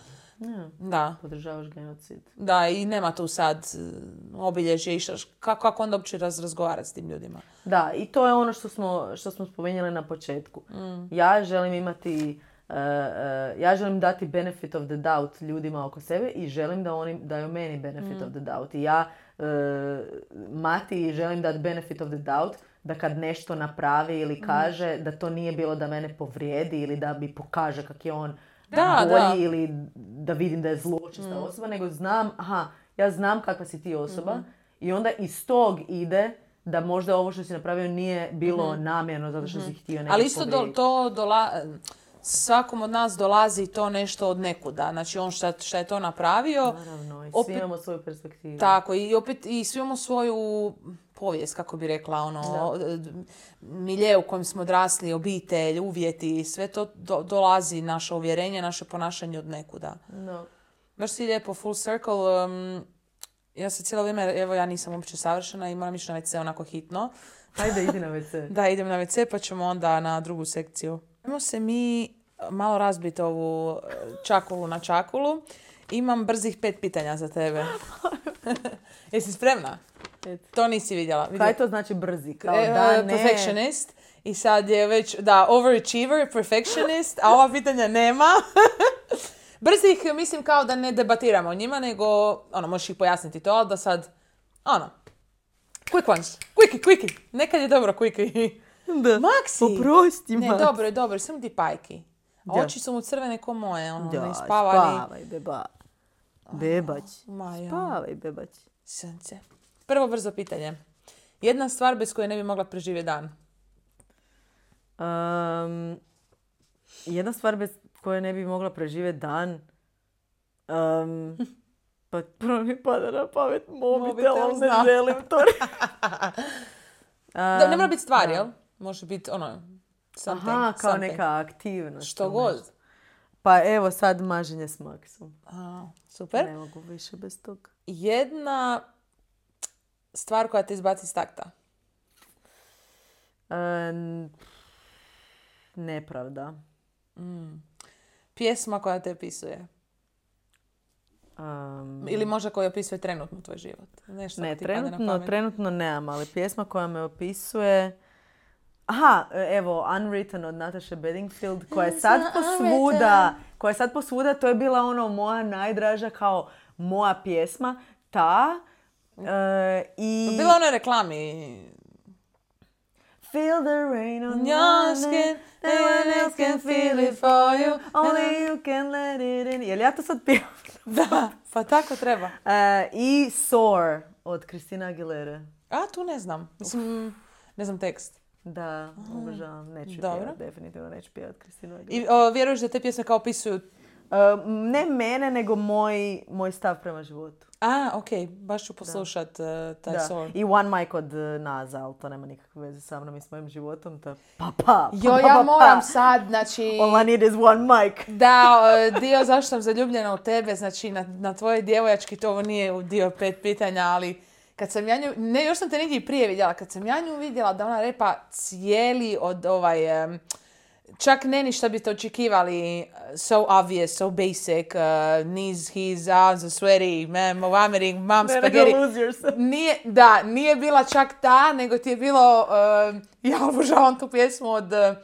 da, Podržavaš genocid. da, i nema tu sad e, obilježje i šta- kako, kako onda uopće raz, razgovarati s tim ljudima. Da, i to je ono što smo, što smo spomenuli na početku. Ja želim imati, uh, uh, ja želim dati benefit of the doubt ljudima oko sebe i želim da oni daju meni benefit of the doubt. I ja uh, Mati želim dati benefit of the doubt da kad nešto napravi ili kaže da to nije bilo da mene povrijedi ili da mi pokaže kak je on Da, bolji da. ili da vidim da je zločesta osoba, nego znam, aha, ja znam kakva si ti osoba i onda iz tog ide da možda ovo što si napravio nije bilo namjerno zato što si htio nekog Ali isto do, povrijediti. to dola, svakom od nas dolazi to nešto od nekuda. Znači on šta, šta je to napravio, Naravno, i svi opet- imamo svoju perspektivu. tako, i opet i svi imamo svoju povijest, kako bi rekla, ono, d- milje u kojem smo odrasli, obitelj, uvjeti, sve to do- dolazi, naše uvjerenje, naše ponašanje od nekuda. No. Baš si lijepo, full circle. Um, ja se cijelo vrijeme, evo ja nisam uopće savršena i moram ići na ve ce onako hitno. Ajde, idi na ve ce. Da, idem na ve ce pa ćemo onda na drugu sekciju. Ajmo se mi malo razbiti ovu e, čakulu na čakulu. Imam brzih pet pitanja za tebe. Jesi spremna? To nisi vidjela. Vidjela. Kaj to znači brzi? Kao E, da, ne. Perfectionist. I sad je već, da, overachiever, perfectionist, a ova pitanja nema. Brzih, mislim kao da ne debatiramo o njima, nego, ono, možeš ih pojasniti to, ali da sad, ono, quick ones, quickie, quickie. Nekad je dobro quickie. Da. Maksi! Oprosti, Ne, Maksi. dobro je, dobro, samo ti pajki. A Da. oči su mu crvene ko moje, ono, Da, ne spavali. spavaj, beba. Bebać. Maja. Spavaj, bebać. Sunce. Prvo brzo pitanje. Jedna stvar bez koje ne bi mogla preživjeti dan. Um, jedna stvar bez koje ne bi mogla preživjeti dan. Um, pa prvo mi pada na pamet mobitel, Mobitel, ali ne znam. želim to. Da, ne mora biti stvar, da. jel? Može biti, ono, something. Aha, kao something. neka aktivnost. Što ili god. nešto. Pa evo sad maženje s Maksom. A, super. Ne mogu više bez toga. Jedna stvar koja te izbaci s takta. Um, nepravda. Pjesma koja te opisuje. Um, Ili možda koja opisuje trenutno tvoj život. Nešto ne, ti padne na trenutno, pamet. trenutno nemam, ali pjesma koja me opisuje... Aha, evo, Unwritten od Natasha Bedingfield, koja je sad posvuda, koja je sad posvuda, to je bila ono moja najdraža kao moja pjesma, ta. e, I... Bila ona reklami. Feel the rain on On your your skin, skin, no one else can feel it for you, only you can let it in. Jel ja to sad pijem? Da, pa tako treba. E, I Soar od Christina Aguilere. A, tu ne znam. Mislim, ne znam tekst. Da, obožavam, neću Dobro. pjevat, definitivno neću pjevat Christinu Aguilere. I o, vjeruješ da te pjesme kao opisuju... Uh, ne mene, nego moj, moj stav prema životu. A, okej, baš ću poslušat uh, taj Da. Soar. I One Mic od uh, Naza, ali to nema nikakve veze sa mnom i s mojim životom. To je pa pa, pa, Jo, pa, ja pa, moram pa. sad, znači... All I need is one mic. Da, uh, dio zašto sam zaljubljena u tebe, znači na, na tvoje djevojački, to ovo nije u dio pet pitanja, ali kad sam ja nju, ne, još sam te negdje i prije vidjela, kad sam ja nju vidjela da ona repa cijeli od ovaj, um, čak ne ni šta biste očekivali, uh, so obvious, so basic, uh, knees, his, arms are sweaty, man, vomiting, mom, Ne, spaghetti. nego lose yourself. Nije, da, nije bila čak ta, nego ti je bilo, uh, ja obožavam tu pjesmu od uh,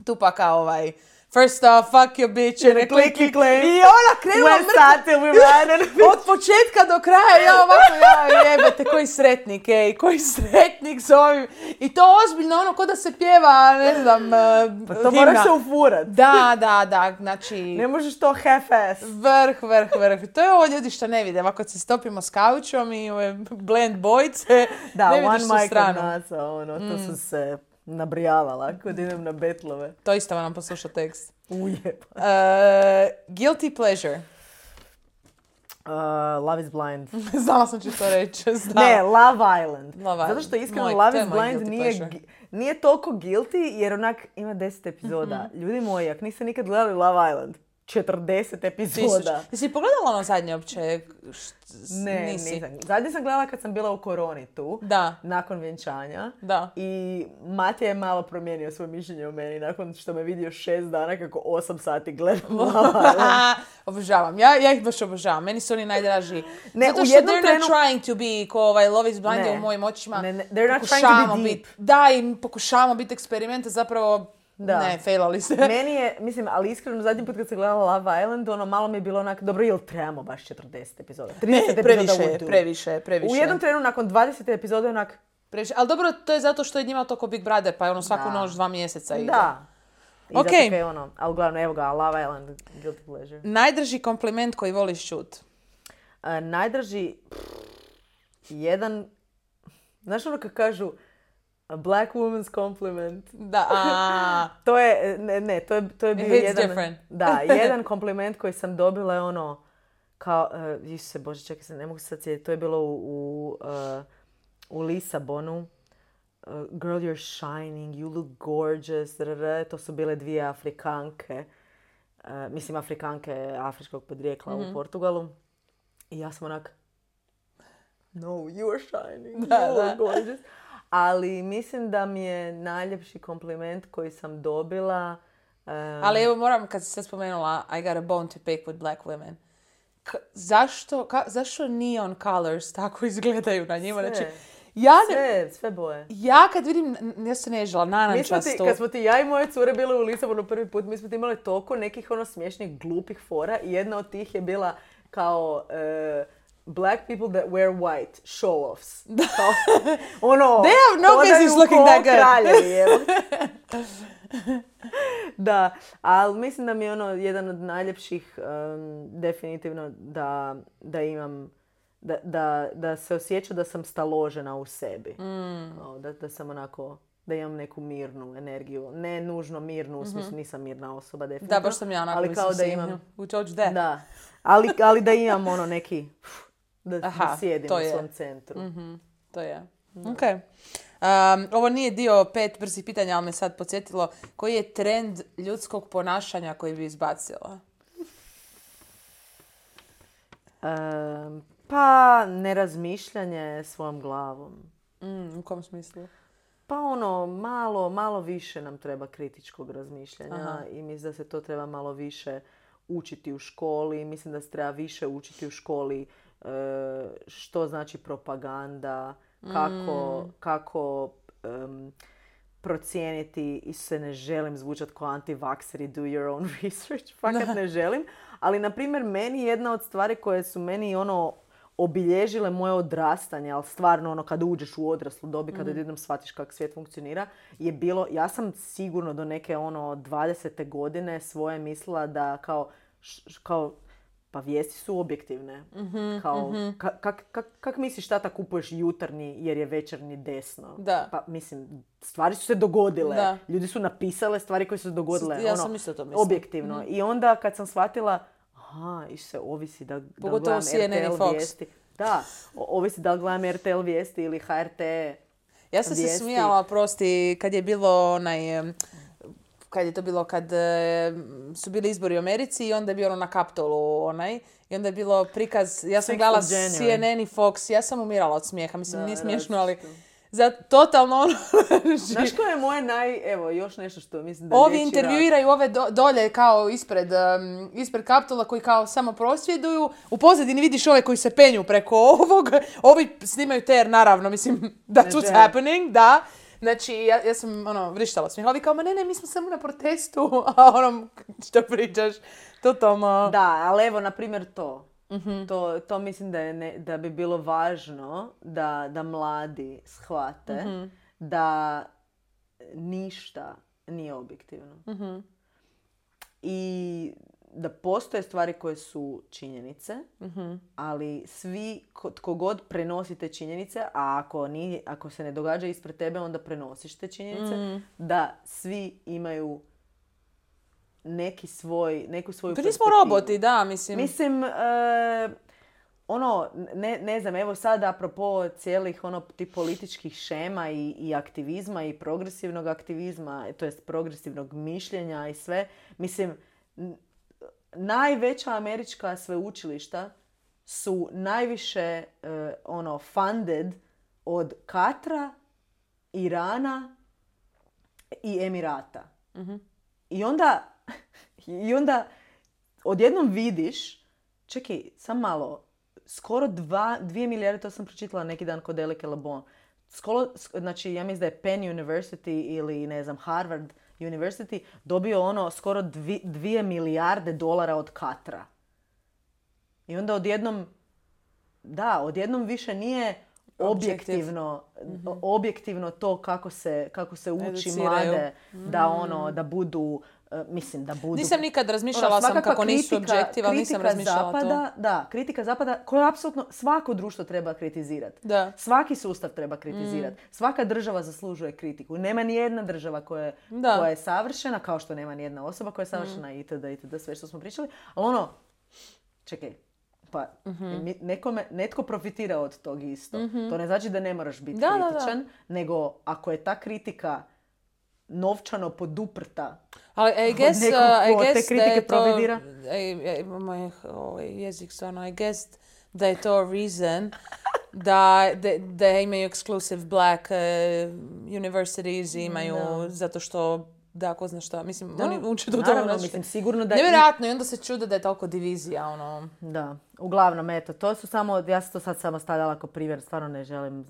Tupaka, ovaj, first off, fuck your bitch, and a clicky claim. I ona krenula West side till we ran. od početka do kraja, ja ovako, ja jebate, koji sretnik, ej, koji sretnik s ovim. I to ozbiljno, ono, ko da se pjeva, ne znam, uh, Pa to himna. moraš se ufurat. Da, da, da, znači... Ne možeš to half-ass. Vrh, vrh, vrh. To je ovo ljudi što ne vide. Ovako se stopimo s kaučom i ove blend bojice, Da, ne One vidiš tu Mic od stranu. Nasa, ono, to su se nabrijavala kad idem na betlove. To isto vam posluša tekst. Ujeba. Uh, guilty pleasure. Uh, Love is Blind. Znala sam ću to reći. Znala. Ne, Love Island. Love Zato Island. što iskreno Moj- Love to je is moj Blind guilty nije, pleasure. gi- nije toliko guilty jer onak ima deset epizoda. Ljudi moji, ako niste nikad gledali Love Island, četrdeset Tisuć. epizoda. Jesi pogledala ono zadnje uopće? Št- Ne, nisi. nisam. Zadnje sam gledala kad sam bila u koroni tu, Da, nakon vjenčanja. da. I Matija je malo promijenio svoje mišljenje o meni nakon što me vidio šest dana kako osam sati gledam Love Island. Obožavam. Ja, ja ih baš obožavam. Meni su oni najdraži. Ne, Zato u što jednom they're trenu- not trying to be ko ovaj Love is Blind Ne. je u mojim očima. Ne, ne, they're not trying to be Pokušavamo deep. bit- Da, i pokušavamo biti eksperiment, a zapravo Da. ne, failali se. Meni je, mislim, ali iskreno zadnji put kad sam gledala Love Island, ono malo mi je bilo onak, dobro, jel trebamo baš četrdeset epizoda? trideset Ne, epizoda previše, would je, do. previše, je, previše. U jednom trenu nakon dvadeset epizoda je onak, previše. Ali dobro, to je zato što je njima to ko Big Brother, pa je ono svaku Da. noć dva mjeseca ide. da. I Ok. zato kaj je ono, ali uglavnom, evo ga, Love Island, guilty pleasure. Najdraži kompliment koji voliš čut. A, najdraži, pff, jedan, znaš ono kad kažu, a black woman's compliment. Da, a, To je, ne, ne, to je, to je bio It's jedan, different. da, jedan kompliment koji sam dobila je ono, kao, uh, Isuse Bože, čekaj se, ne mogu se sad sjetiti, to je bilo u, u, uh, u Lisabonu. Uh, girl, you're shining, you look gorgeous, rr, to su bile dvije Afrikanke, uh, mislim Afrikanke afričkog podrijekla Mhm. u Portugalu. I ja sam onak, no, you are shining, Da, you da. look gorgeous. Ali mislim da mi je najljepši kompliment koji sam dobila Um, Ali evo moram, kad si sad spomenula I got a bone to pick with black women. K- zašto, ka, zašto neon colors tako izgledaju na njima? Sve. Znači, ja, ne, sve, sve boje. ja kad vidim, n- ja se nežila, Mi smo narančasto. ti, kad smo ti ja i moje cure bile u Lisabonu prvi put, mi smo ti imali toliko nekih ono smiješnih, glupih fora i jedna od tih je bila kao uh, black people that wear white, show-offs. Kao, ono, They have no business looking that good. Kraljevi, evo. Da, ali mislim da mi je ono jedan od najljepših um, definitivno da, da imam, da, da, da se osjeća da sam staložena u sebi. Mm. Kao da, da sam onako, da imam neku mirnu energiju. Ne nužno mirnu, u smislu nisam mirna osoba definitivno. Da, baš sam ja onako, ali mislim, kao da si, imam, we told you that. da, ali, ali da imam ono neki, da, Aha, da sjedim to u je. svom centru. Mm-hmm, to je. Ok. Um, ovo nije dio pet brzih pitanja, ali me sad podsjetilo. Koji je trend ljudskog ponašanja koji bi izbacila? Um, pa nerazmišljanje svojom glavom. Mm, u kom smislu? Pa ono, malo, malo više nam treba kritičkog razmišljanja. Aha. I mislim da se to treba malo više učiti u školi. Mislim da se treba više učiti u školi e, što znači propaganda, kako, Mm. kako em, procijeniti, i se ne želim zvučati kao anti-vaxxeri, do your own research, fakat ne želim. Ali, na primjer, meni jedna od stvari koje su meni ono obilježile moje odrastanje, ali stvarno ono kada uđeš u odraslu dobi, kada jednom shvatiš kako svijet funkcionira, je bilo, ja sam sigurno do neke ono dvadesete godine svoje mislila da kao, š, kao pa vijesti su objektivne. Mm-hmm, Kao, mm-hmm. ka, kak, kak, kak misliš tata kupuješ jutarnji jer je večernji desno? Da. Pa mislim, stvari su se dogodile. Da. Ljudi su napisale stvari koje su se dogodile. Ja ono, sam isto to mislila. objektivno. Mm-hmm. I onda kad sam shvatila, aha, i se ovisi da, da Pogotovo gledam C N N i R T L Fox. vijesti. Da, o- ovisi da li gledam R T L vijesti ili H R T. Ja sam se vijesti. smijala, prosti, kad je bilo onaj... em, kad je to bilo, kad e, su bili izbori u Americi i onda je bio ono na Kapitolu onaj. I onda je bilo prikaz, ja sam Sixth gledala of January. C N N i Fox, ja sam umirala od smijeha, mislim, Da, nije smiješno, ali različito. za totalno ono... Znaš koje je moje naj... Evo, još nešto što mislim da Ovi liječi intervjuiraju ove do, dolje kao ispred, um, ispred Kapitola koji kao samo prosvjeduju. U pozadini vidiš ove koji se penju preko ovog. Ovi snimaju ter, naravno, mislim, that's Ne what's žele. happening, da. Znači, ja, ja sam, ono, vrištala smijeh. Ovi kao, ma ne, ne, mi smo samo na protestu. A ono, što pričaš, totalno... Da, ali evo, na primjer, to. Mhm. To, to mislim da, je ne, da bi bilo važno da, da mladi shvate Mhm. da ništa nije objektivno. Mhm. I da postoje stvari koje su činjenice, Mhm. ali svi, ko- tko god prenosi te činjenice, a ako, nije, ako se ne događa ispred tebe, onda prenosiš te činjenice, Mm. da svi imaju neki svoj, neku svoju Pa nismo perspektivu. roboti, da, mislim. Mislim, e, ono, ne, ne znam, evo sad apropo cijelih ono tih političkih šema i, i aktivizma i progresivnog aktivizma, to jest progresivnog mišljenja i sve, mislim, n- najveća američka sveučilišta su najviše e, ono funded od Katra, Irana i Emirata. Mhm. I onda, i onda odjednom vidiš, čekaj, sam malo, skoro dva, dvije milijarde, to sam pročitala neki dan kod Elike Lebon. Skoro, sk- znači, ja mislim da je Penn University ili, ne znam, Harvard University dobio ono skoro dvi, dvije milijarde dolara od Katra. I onda odjednom, da, odjednom više nije objektivno, objektivno to kako se, kako se uči Educiraju. mlade da ono, da budu, e, mislim da budu... Nisam nikad razmišljala Ono, sam svakakva kako nisu kritika- objektiv, ali nisam kritika razmišljala zapada, Da, kritika zapada koju apsolutno svako društvo treba kritizirati. Da. Svaki sustav treba kritizirati. Svaka država zaslužuje kritiku. Nema ni jedna država koja je, Da. koja je savršena, kao što nema ni jedna osoba koja je savršena itd. itd. Sve što smo pričali. Ali ono, čekaj, pa mi- nekome, netko profitira od tog isto. To ne znači da ne moraš biti Da, da, da. kritičan, nego ako je ta kritika novčano poduprta, Ali I guess, nekog uh, I ko te guess da kritike je to... profitira. I, I, moj ovaj jezik stvarno, I guess da je to reason da, da, da imaju exclusive black uh, universities i imaju Da. zato što da, ko zna šta. Mislim, Da, oni uče do naravno, toga. mislim, sigurno da... i- Nevjerojatno, i onda se čude da je toliko divizija, ono... Da, uglavnom, eto, to su samo, ja sam to sad samo stavljala kao primjer, stvarno ne želim,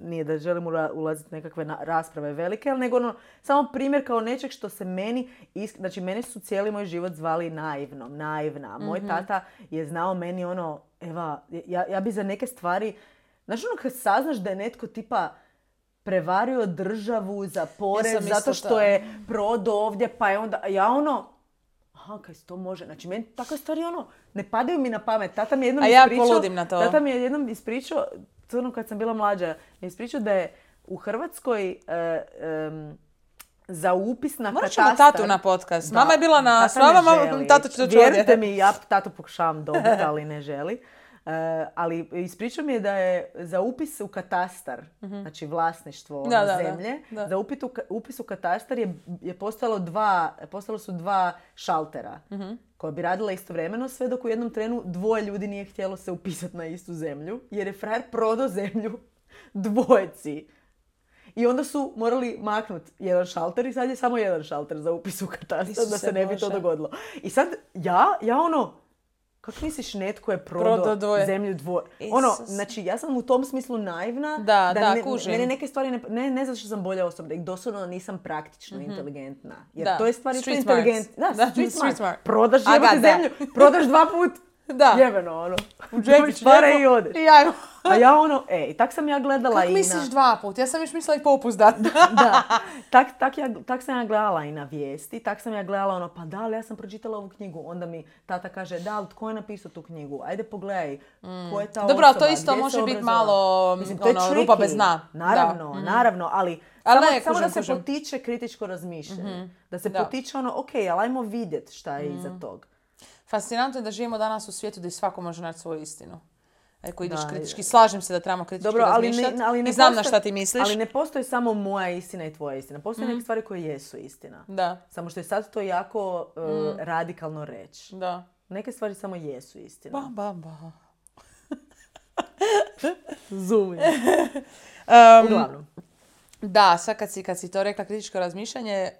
nije da želim ula- ulaziti u nekakve na- rasprave velike, ali nego ono, samo primjer kao nečeg što se meni, isk- znači mene su cijeli moj život zvali naivnom, naivna. Moj Mhm. tata je znao meni ono, Eva, ja, ja bi za neke stvari, znaš ono kad saznaš da je netko tipa prevario državu za porez Ja sam isto zato što ta- je prodao ovdje, pa je onda, ja ono, aha, kaj se to može. Znači, meni takve stvari ono, ne padaju mi na pamet. Tata mi je jednom A ja ispričao... poludim na to. Tata mi je jednom ispričao, to ono kad sam bila mlađa, mi je ispričao da je u Hrvatskoj e, em, za upis na Morat katastar... ćemo tatu na podcast. Da, Mama je bila na tata s vama, ne mama, želi. tata će doći Vjerujte ovdje. mi, ja tatu pokušavam dobiti, ali ne želi. E, ali ispričao mi je da je za upis u katastar, znači vlasništvo Da, da, da. zemlje, Da. za upit u ka- upis u katastar je, je postalo dva, postalo su dva šaltera koja bi radila istovremeno, sve dok u jednom trenu dvoje ljudi nije htjelo se upisati na istu zemlju, jer je frajer prodao zemlju dvojeci. I onda su morali maknuti jedan šalter i sad je samo jedan šalter za upis u katastar da Isuse se ne bi to Bože. dogodilo. I sad ja, ja ono, kako misliš netko je prodao Prodao dvoje. zemlju dvoje? Ono, Isus. znači ja sam u tom smislu naivna. Da, da, ne, kužim. Mene neke stvari, ne, ne, ne zato što sam bolja osoba, nego doslovno nisam praktično inteligentna. Jer Da. to je stvar isto Street smarts. inteligentna. Da, Da, street, street smart. smart. Prodaš I jebote got that. zemlju, prodaš dva put, Da. jebeno ono. U džepić Dobiš pare lijepo. i odeš. I ja, A ja ono, e, i tak sam ja gledala kako i misliš na... dva put? Ja sam još mislila i popust dat. Da, tak, tak, ja, tak sam ja gledala i na vijesti, tak sam ja gledala ono, pa da, ali ja sam pročitala ovu knjigu, onda mi tata kaže, da, ali tko je napisao tu knjigu? Ajde pogledaj, ko je ta osoba, Dobro, ali to isto gdje se može biti obrazovala? malo, Mislim, to je ono, tricky. rupa bez dna. Naravno, Da. naravno, ali, Ali samo, ne, samo da kužim, se kužim. potiče kritičko razmišljanje. Da se Da. potiče ono, ok, ali ajmo vidjeti šta je iza tog. Fascinantno je da živimo danas u svijetu gdje svako može naći svoju istinu. Ako ideš Da, kritički, slažem se da trebamo kritički Dobro, ali razmišljati ne, ali ne i znam na postoji- šta ti misliš. Ali ne postoji samo moja istina i tvoja istina. Postoje neke stvari koje jesu istina. Da, Samo što je sad to jako uh, radikalno reći. da. Neke stvari samo jesu istina. Ba, ba, ba. Zumi. Um, Uglavnom. da, sad kad si, kad si to rekla kritičko razmišljanje,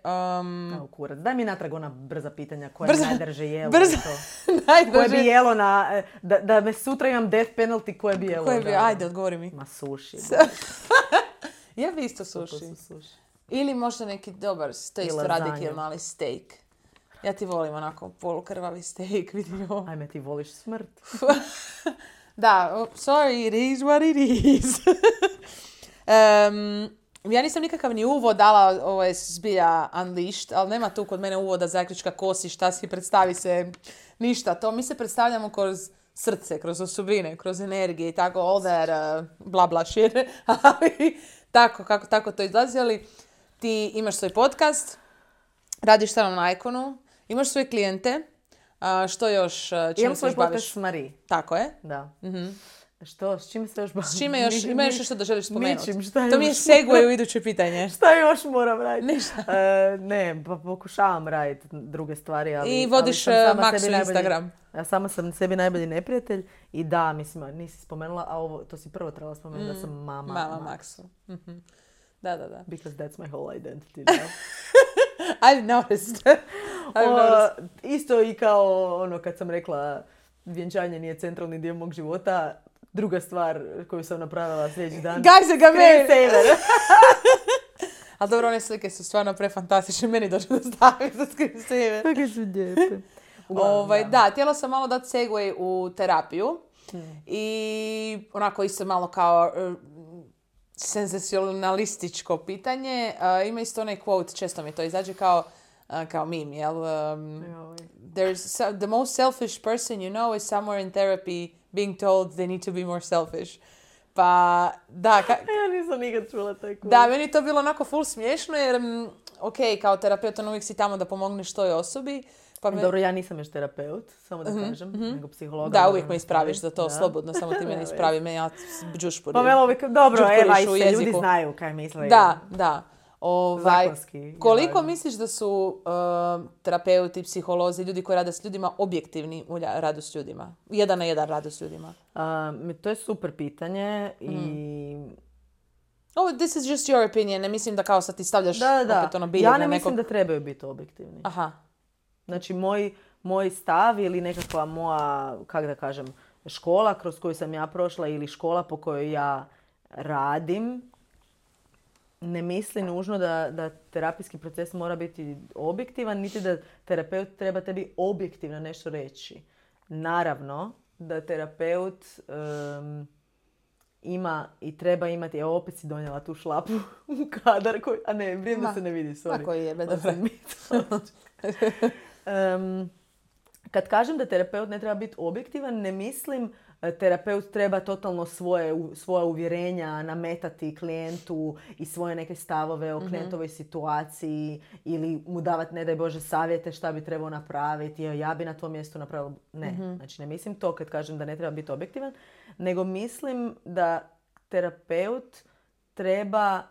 um, Evo, kurac. Daj mi natrag ona brza pitanja koje Brza- najdrže jelo. brza- i to. Koje najdraže. bi jelo na... e, Da, da me sutra imam death penalty, koje bi jelo? Koje bi, da? ajde, odgovori mi. Ma suši. Ja bi isto To suši. su suši. Ili možda neki dobar, to je I isto lazanja. radikalno, ali steak. Ja ti volim onako polukrvavi steak, vidio. Ajme, ti voliš smrt. Da, oh, sorry, it is what it is. um, ja nisam nikakav ni uvod dala, ovo je zbilja unleashed, ali nema tu kod mene uvoda zaključka ko si, šta si, predstavi se, ništa. To mi se predstavljamo kroz srce, kroz osobine, kroz energije i tako, all that uh, bla bla shit. Ali tako, kako, tako to izlazi, ali ti imaš svoj podcast, radiš tamo na Iconu, imaš svoje klijente, a što još, uh, čime Imam se svoj još baviš? podcast s Marie. Tako je. Da. Što, s čime se još bavim? S čime još, Ni- ima još ni- nešto da želiš spomenuti? ničim, šta To mi je još? segue u iduće pitanje. Šta još moram raditi? Ništa. E, ne, pa pokušavam raditi druge stvari, ali... I vodiš, ali sam sama e, sebi Maxu najbolji- Instagram. Ja sama sam sebi najbolji neprijatelj i da, mislim, a nisi spomenula, a ovo, to si prvo trebala spomenuti da sam mama. Mama Max. Maxu. Mhm. Da, da, da. Because that's my whole identity now. I've noticed. I've O, noticed. isto i kao ono kad sam rekla vjenčanje nije centralni dio mog života, druga stvar koju sam napravila sljedeći dan. Guys, ga me! Screensaver. Ali dobro, one slike su stvarno prefantastične. Meni dođe da stavim za screensaver. Kako su lijepe. Uglavnom, Ovaj, da, htjela sam malo dati segue u terapiju. I onako isto malo kao uh, senzacionalističko pitanje. Uh, ima isto onaj quote, često mi to izađe kao, uh, kao meme, jel? Um, Joj. There's so- the most selfish person you know is somewhere in therapy being told they need to be more selfish. Pa, da, ka- Ja nisam nikad čula taj kurs. da, meni je to bilo onako full smiješno jer, mm, ok, kao terapeut on uvijek si tamo da pomogneš toj osobi. Pa me- Dobro, ja nisam još terapeut, samo da kažem, nego psihologa. da, moram uvijek me ispraviš za to, Da. slobodno, samo ti mene ispravi, me ja džušpurim. Pa mene uvijek, dobro, Đurkuriš evo, aj u se, jeziku. ljudi znaju kaj misle. Da, da. Ovaj, Zakonski je koliko važno. misliš da su uh, terapeuti, psiholozi, ljudi koji rade s ljudima objektivni u lja- radu s ljudima? Jedan na jedan radu s ljudima. A, mi- to je super pitanje i Oh, this is just your opinion. Ne mislim da kao sad ti stavljaš Da, da. opet ono bilje Ja na ne nekog... mislim da trebaju biti objektivni. Aha. Znači, moj, moj stav ili nekakva moja, kako da kažem, škola kroz koju sam ja prošla ili škola po kojoj ja radim, ne misli nužno da, da terapijski proces mora biti objektivan, niti da terapeut treba tebi objektivno nešto reći. Naravno da terapeut um, ima i treba imati, evo opet si donijela tu šlapu u kadar, koji, a ne, vrijem da se ne vidi, sorry. Tako je, dobro. um, kad kažem da terapeut ne treba biti objektivan, ne mislim terapeut treba totalno svoje, svoja uvjerenja nametati klijentu i svoje neke stavove o klijentovoj situaciji ili mu davati, ne daj Bože, savjete šta bi trebao napraviti. Ja bi na tom mjestu napravila... Ne, mm-hmm. znači ne mislim to kad kažem da ne treba biti objektivan, nego mislim da terapeut treba,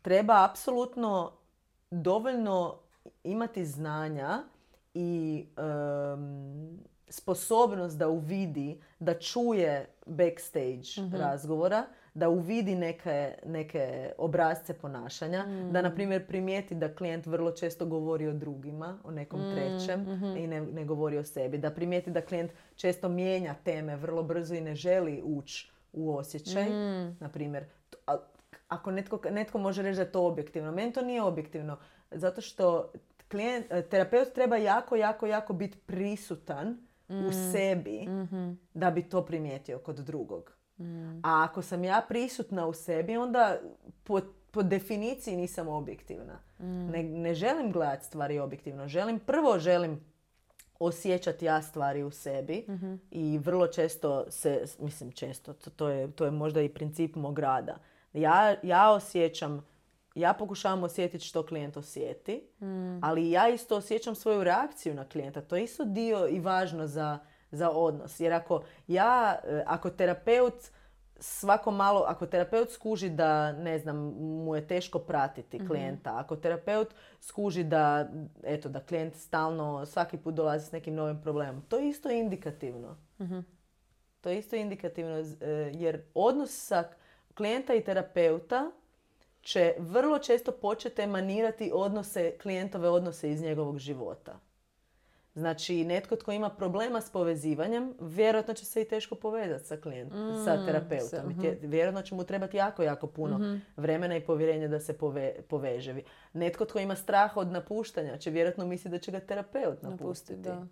treba apsolutno dovoljno imati znanja i... Um, sposobnost da uvidi, da čuje backstage mm-hmm. razgovora, da uvidi neke, neke obrasce ponašanja, mm. da, na primjer, primijeti da klijent vrlo često govori o drugima, o nekom mm. trećem mm-hmm. i ne, ne govori o sebi. Da primijeti da klijent često mijenja teme vrlo brzo i ne želi ući u osjećaj. Mm. Na primjer, ako netko, netko može reći da je to objektivno, meni to nije objektivno, zato što klijent, terapeut treba jako, jako, jako biti prisutan u mm. sebi mm-hmm. da bi to primijetio kod drugog. Mm. A ako sam ja prisutna u sebi, onda po, po definiciji nisam objektivna. Mm. Ne, ne želim gledati stvari objektivno. Želim, prvo želim osjećati ja stvari u sebi mm-hmm. i vrlo često se, mislim često, to, to, je, to je možda i princip mog rada. Ja, ja osjećam Ja pokušavam osjetiti što klijent osjeti, mm. ali ja isto osjećam svoju reakciju na klijenta. To je isto dio i važno za, za odnos. Jer ako ja, ako terapeut svako malo, ako terapeut skuži da, ne znam, mu je teško pratiti klijenta, mm-hmm. ako terapeut skuži da, eto, da klijent stalno svaki put dolazi s nekim novim problemom, to je isto indikativno. Mm-hmm. To je isto indikativno jer odnos sa klijenta i terapeuta će vrlo često početi emanirati odnose, klijentove odnose iz njegovog života. Znači, netko tko ima problema s povezivanjem, vjerojatno će se i teško povezati sa klijentom, mm, sa terapeutom. Uh-huh. Vjerojatno će mu trebati jako, jako puno uh-huh. vremena i povjerenja da se pove, poveže. Netko tko ima strah od napuštanja će vjerojatno misliti da će ga terapeut napustiti. Da.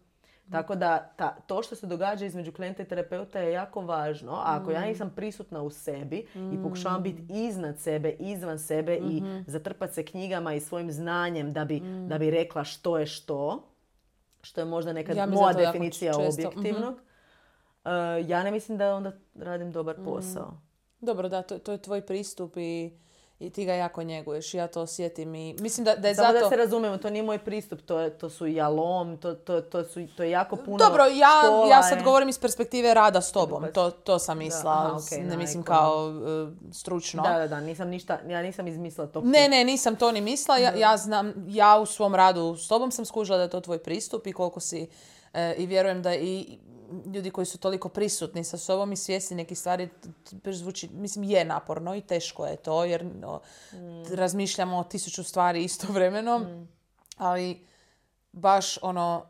Tako da ta, to što se događa između klijenta i terapeuta je jako važno. A ako mm. ja nisam prisutna u sebi mm. i pokušavam biti iznad sebe, izvan sebe mm-hmm. i zatrpati se knjigama i svojim znanjem da bi, mm. da bi rekla što je što, što je možda nekad ja moja definicija objektivnog, mm-hmm. uh, ja ne mislim da onda radim dobar posao. Mm. Dobro, da, to, to je tvoj pristup i... I ti ga jako njeguješ. Ja to osjetim i mislim da, da je Samo zato... da se razumemo, to nije moj pristup, to, je, to su jalom, to, to, to, su, to je jako puno Dobro, ja, škola, ja sad govorim iz perspektive rada s tobom. To, to sam mislila, aha, okay, ne mislim kao uh, stručno. Da, da, da, nisam ništa, ja nisam izmislila to. Ne, ne, nisam to ni mislila. Ja, ja znam, ja u svom radu s tobom sam skužila da je to tvoj pristup i koliko si... Uh, I vjerujem da i ljudi koji su toliko prisutni sa sobom i svjesni nekih stvari, zvuči, mislim, je naporno i teško je to, jer no, mm. razmišljamo o tisuću stvari istovremeno, mm. ali baš ono,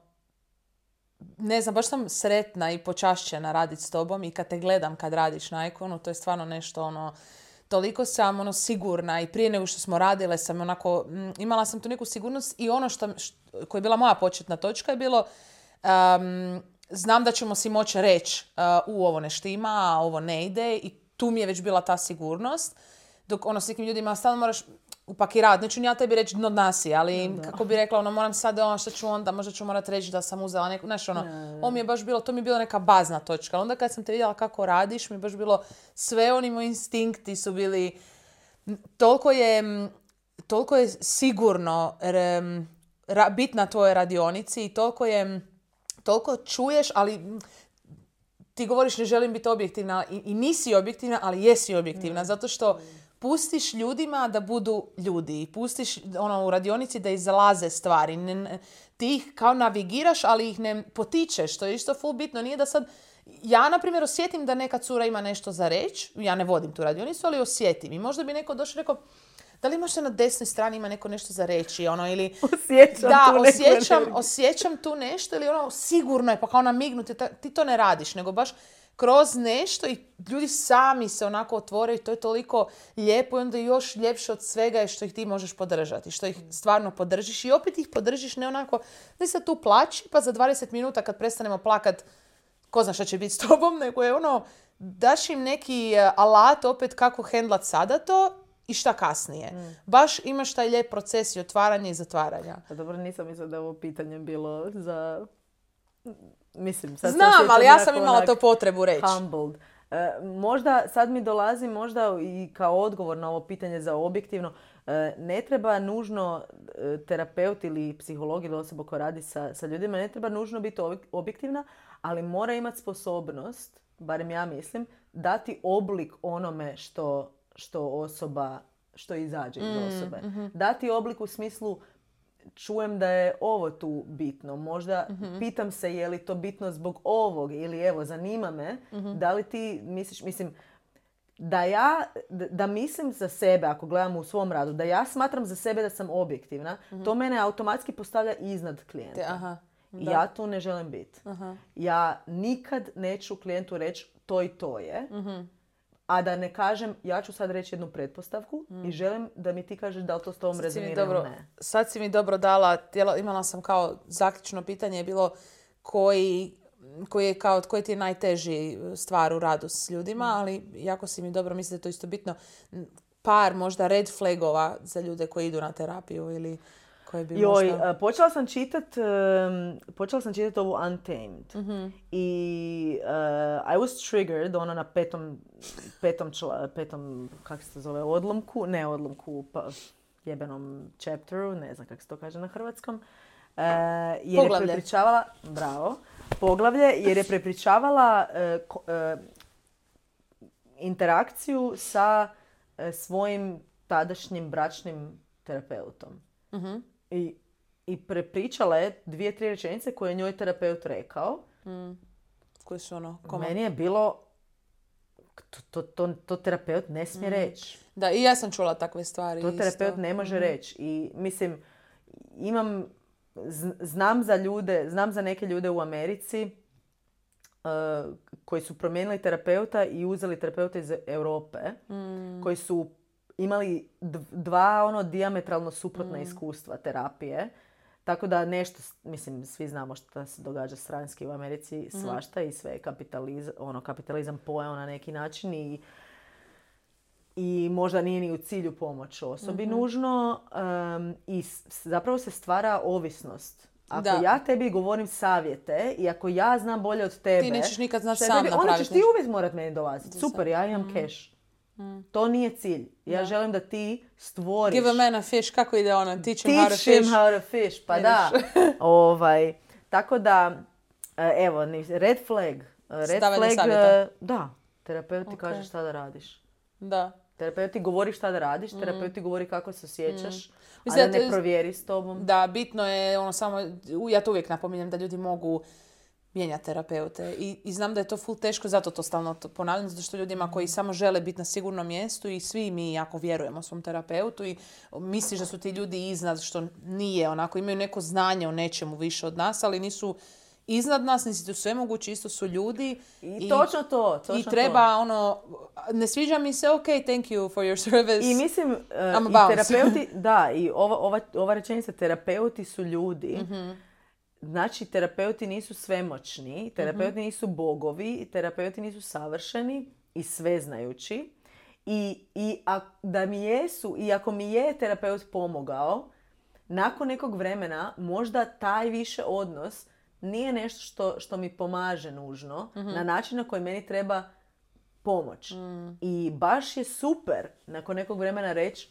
ne znam, baš sam sretna i počašćena raditi s tobom i kad te gledam kad radiš na Iconu, to je stvarno nešto ono, toliko sam ono sigurna i prije nego što smo radile sam onako, m, imala sam tu neku sigurnost i ono što, što koja je bila moja početna točka je bilo um, znam da ćemo si moći reći uh, u ovo ne štima, a ovo ne ide i tu mi je već bila ta sigurnost. Dok ono s nekim ljudima stalno moraš upakirati. Neću ja tebi reći dno dna si, ali da. Kako bi rekla, ono moram sad, ono što ću onda, možda ću morat reći da sam uzela neku, znaš ono, ovo mi je baš bilo, to mi je bila neka bazna točka. Onda kad sam te vidjela kako radiš, mi je baš bilo, sve oni moji instinkti su bili, toliko je, toliko je sigurno r, ra, bit na tvojoj radionici i toliko je, toliko čuješ, ali ti govoriš ne želim biti objektivna i, i nisi objektivna, ali jesi objektivna, mm. zato što pustiš ljudima da budu ljudi. Pustiš ono, u radionici da izlaze stvari. Ne, ne, ti ih kao navigiraš, ali ih ne potičeš. To je isto full bitno. Nije da sad ja, na primjer, osjetim da neka cura ima nešto za reći, ja ne vodim tu radionicu, ali osjetim. I možda bi neko došao i rekao, da li možda na desnoj strani ima neko nešto za reći, ono, ili... Osjećam da, tu osjećam, neku osjećam tu nešto, ili ono, sigurno je, pa kao namignuti, ti to ne radiš, nego baš kroz nešto i ljudi sami se onako otvoraju, to je toliko lijepo i onda još ljepše od svega je što ih ti možeš podržati, što ih stvarno podržiš i opet ih podržiš ne onako, da se tu plaći, pa za dvadeset minuta kad prestanemo plakat, ko zna šta će biti s tobom, nego je ono, daš im neki alat opet kako hendlat sada to i šta kasnije. Mm. Baš imaš taj lijep proces i otvaranja i zatvaranja. A dobro, nisam mislila da je ovo pitanje bilo za... Mislim, sad znam, ali ja sam imala to potrebu reći. Humbled. E, možda, sad mi dolazi možda i kao odgovor na ovo pitanje za objektivno, e, ne treba nužno e, terapeut ili psiholog ili osoba koja radi sa, sa ljudima, ne treba nužno biti objektivna, ali mora imati sposobnost, barem ja mislim, dati oblik onome što, što osoba, što izađe iz osobe. Mm-hmm. Dati oblik u smislu čujem da je ovo tu bitno. Možda mm-hmm. pitam se je li to bitno zbog ovog ili evo zanima me mm-hmm. da li ti misliš, mislim da ja, da, da mislim za sebe ako gledam u svom radu, da ja smatram za sebe da sam objektivna, mm-hmm. to mene automatski postavlja iznad klijenta. Te, aha, da. Ja tu ne želim biti. Aha. Ja nikad neću klijentu reći to i to je. Mm-hmm. A da ne kažem, ja ću sad reći jednu pretpostavku mm. i želim da mi ti kažeš da li to s tobom rezonira ili ne. Sad si mi dobro dala, imala sam kao zaključno pitanje, je bilo koji, koji, je kao, koji ti je najteži stvar u radu s ljudima, mm. ali jako si mi dobro, mislim da je to isto bitno, par možda red flagova za ljude koji idu na terapiju ili... Bi Joj, možda... počela sam čitat, um, počela sam čitat ovu Untamed mm-hmm. i uh, I was triggered, ono na petom, petom, čla, petom kako se to zove, odlomku, ne odlomku, pa jebenom chapteru, ne znam kako se to kaže na hrvatskom, uh, jer poglavlje. je prepričavala, bravo, poglavlje, jer je prepričavala uh, ko, uh, interakciju sa uh, svojim tadašnjim bračnim terapeutom. Mm-hmm. I, I prepričala je dvije, tri rečenice koje je njoj terapeut rekao. Mm. Koje su ono? Koma? Meni je bilo... To, to, to, to terapeut ne smije mm. reći. Da, i ja sam čula takve stvari. To terapeut isto. ne može mm-hmm. reći. I mislim, imam... Znam za ljude, znam za neke ljude u Americi uh, koji su promijenili terapeuta i uzeli terapeuta iz Europe. Mm. Koji su imali dva ono dijametralno suprotna mm. iskustva terapije. Tako da nešto, mislim, svi znamo što se događa stranski u Americi, mm. svašta i sve kapitalizam, ono, kapitalizam pojao na neki način i, i možda nije ni u cilju pomoć osobi mm-hmm. nužno. Um, I zapravo se stvara ovisnost. Ako da. ja tebi govorim savjete i ako ja znam bolje od tebe... Ti nećeš nikad znaš sam napraviti. Onda ćeš ti uvijek morat meni dolaziti. Super, ja imam mm. cash. Mm. To nije cilj. Ja da. želim da ti stvoriš... Give a man a fish. Kako ide ono? Teach him Teach how to fish. Him how to fish. Pa da. ovaj, tako da, evo, red flag. Red Stavanje flag, savjeta. Da. Terapeut ti okay. kaže šta da radiš. Da. Terapeut ti govori šta da radiš, mm. terapeut ti govori kako se osjećaš, mm. a da ne provjeri s tobom. Da, bitno je ono samo, ja to uvijek napominjem da ljudi mogu mijenjati terapeute. I, I znam da je to ful teško, zato to stalno to ponavljam, zato što ljudima koji samo žele biti na sigurnom mjestu i svi mi jako vjerujemo svom terapeutu i misliš da su ti ljudi iznad, što nije onako, imaju neko znanje o nečemu više od nas, ali nisu iznad nas, nisi tu sve mogući, isto su ljudi. I, I točno to. Točno I treba to. ono, ne sviđa mi se, ok, thank you for your service. I mislim, uh, i terapeuti, da, i ova, ova, ova rečenica, terapeuti su ljudi. Mm-hmm. Znači, terapeuti nisu svemoćni, terapeuti mm-hmm. nisu bogovi, terapeuti nisu savršeni i sveznajući. I, i a, da mi jesu, i ako mi je terapeut pomogao, nakon nekog vremena možda taj više odnos nije nešto što, što mi pomaže nužno mm-hmm. na način na koji meni treba pomoć. Mm. I baš je super nakon nekog vremena reći,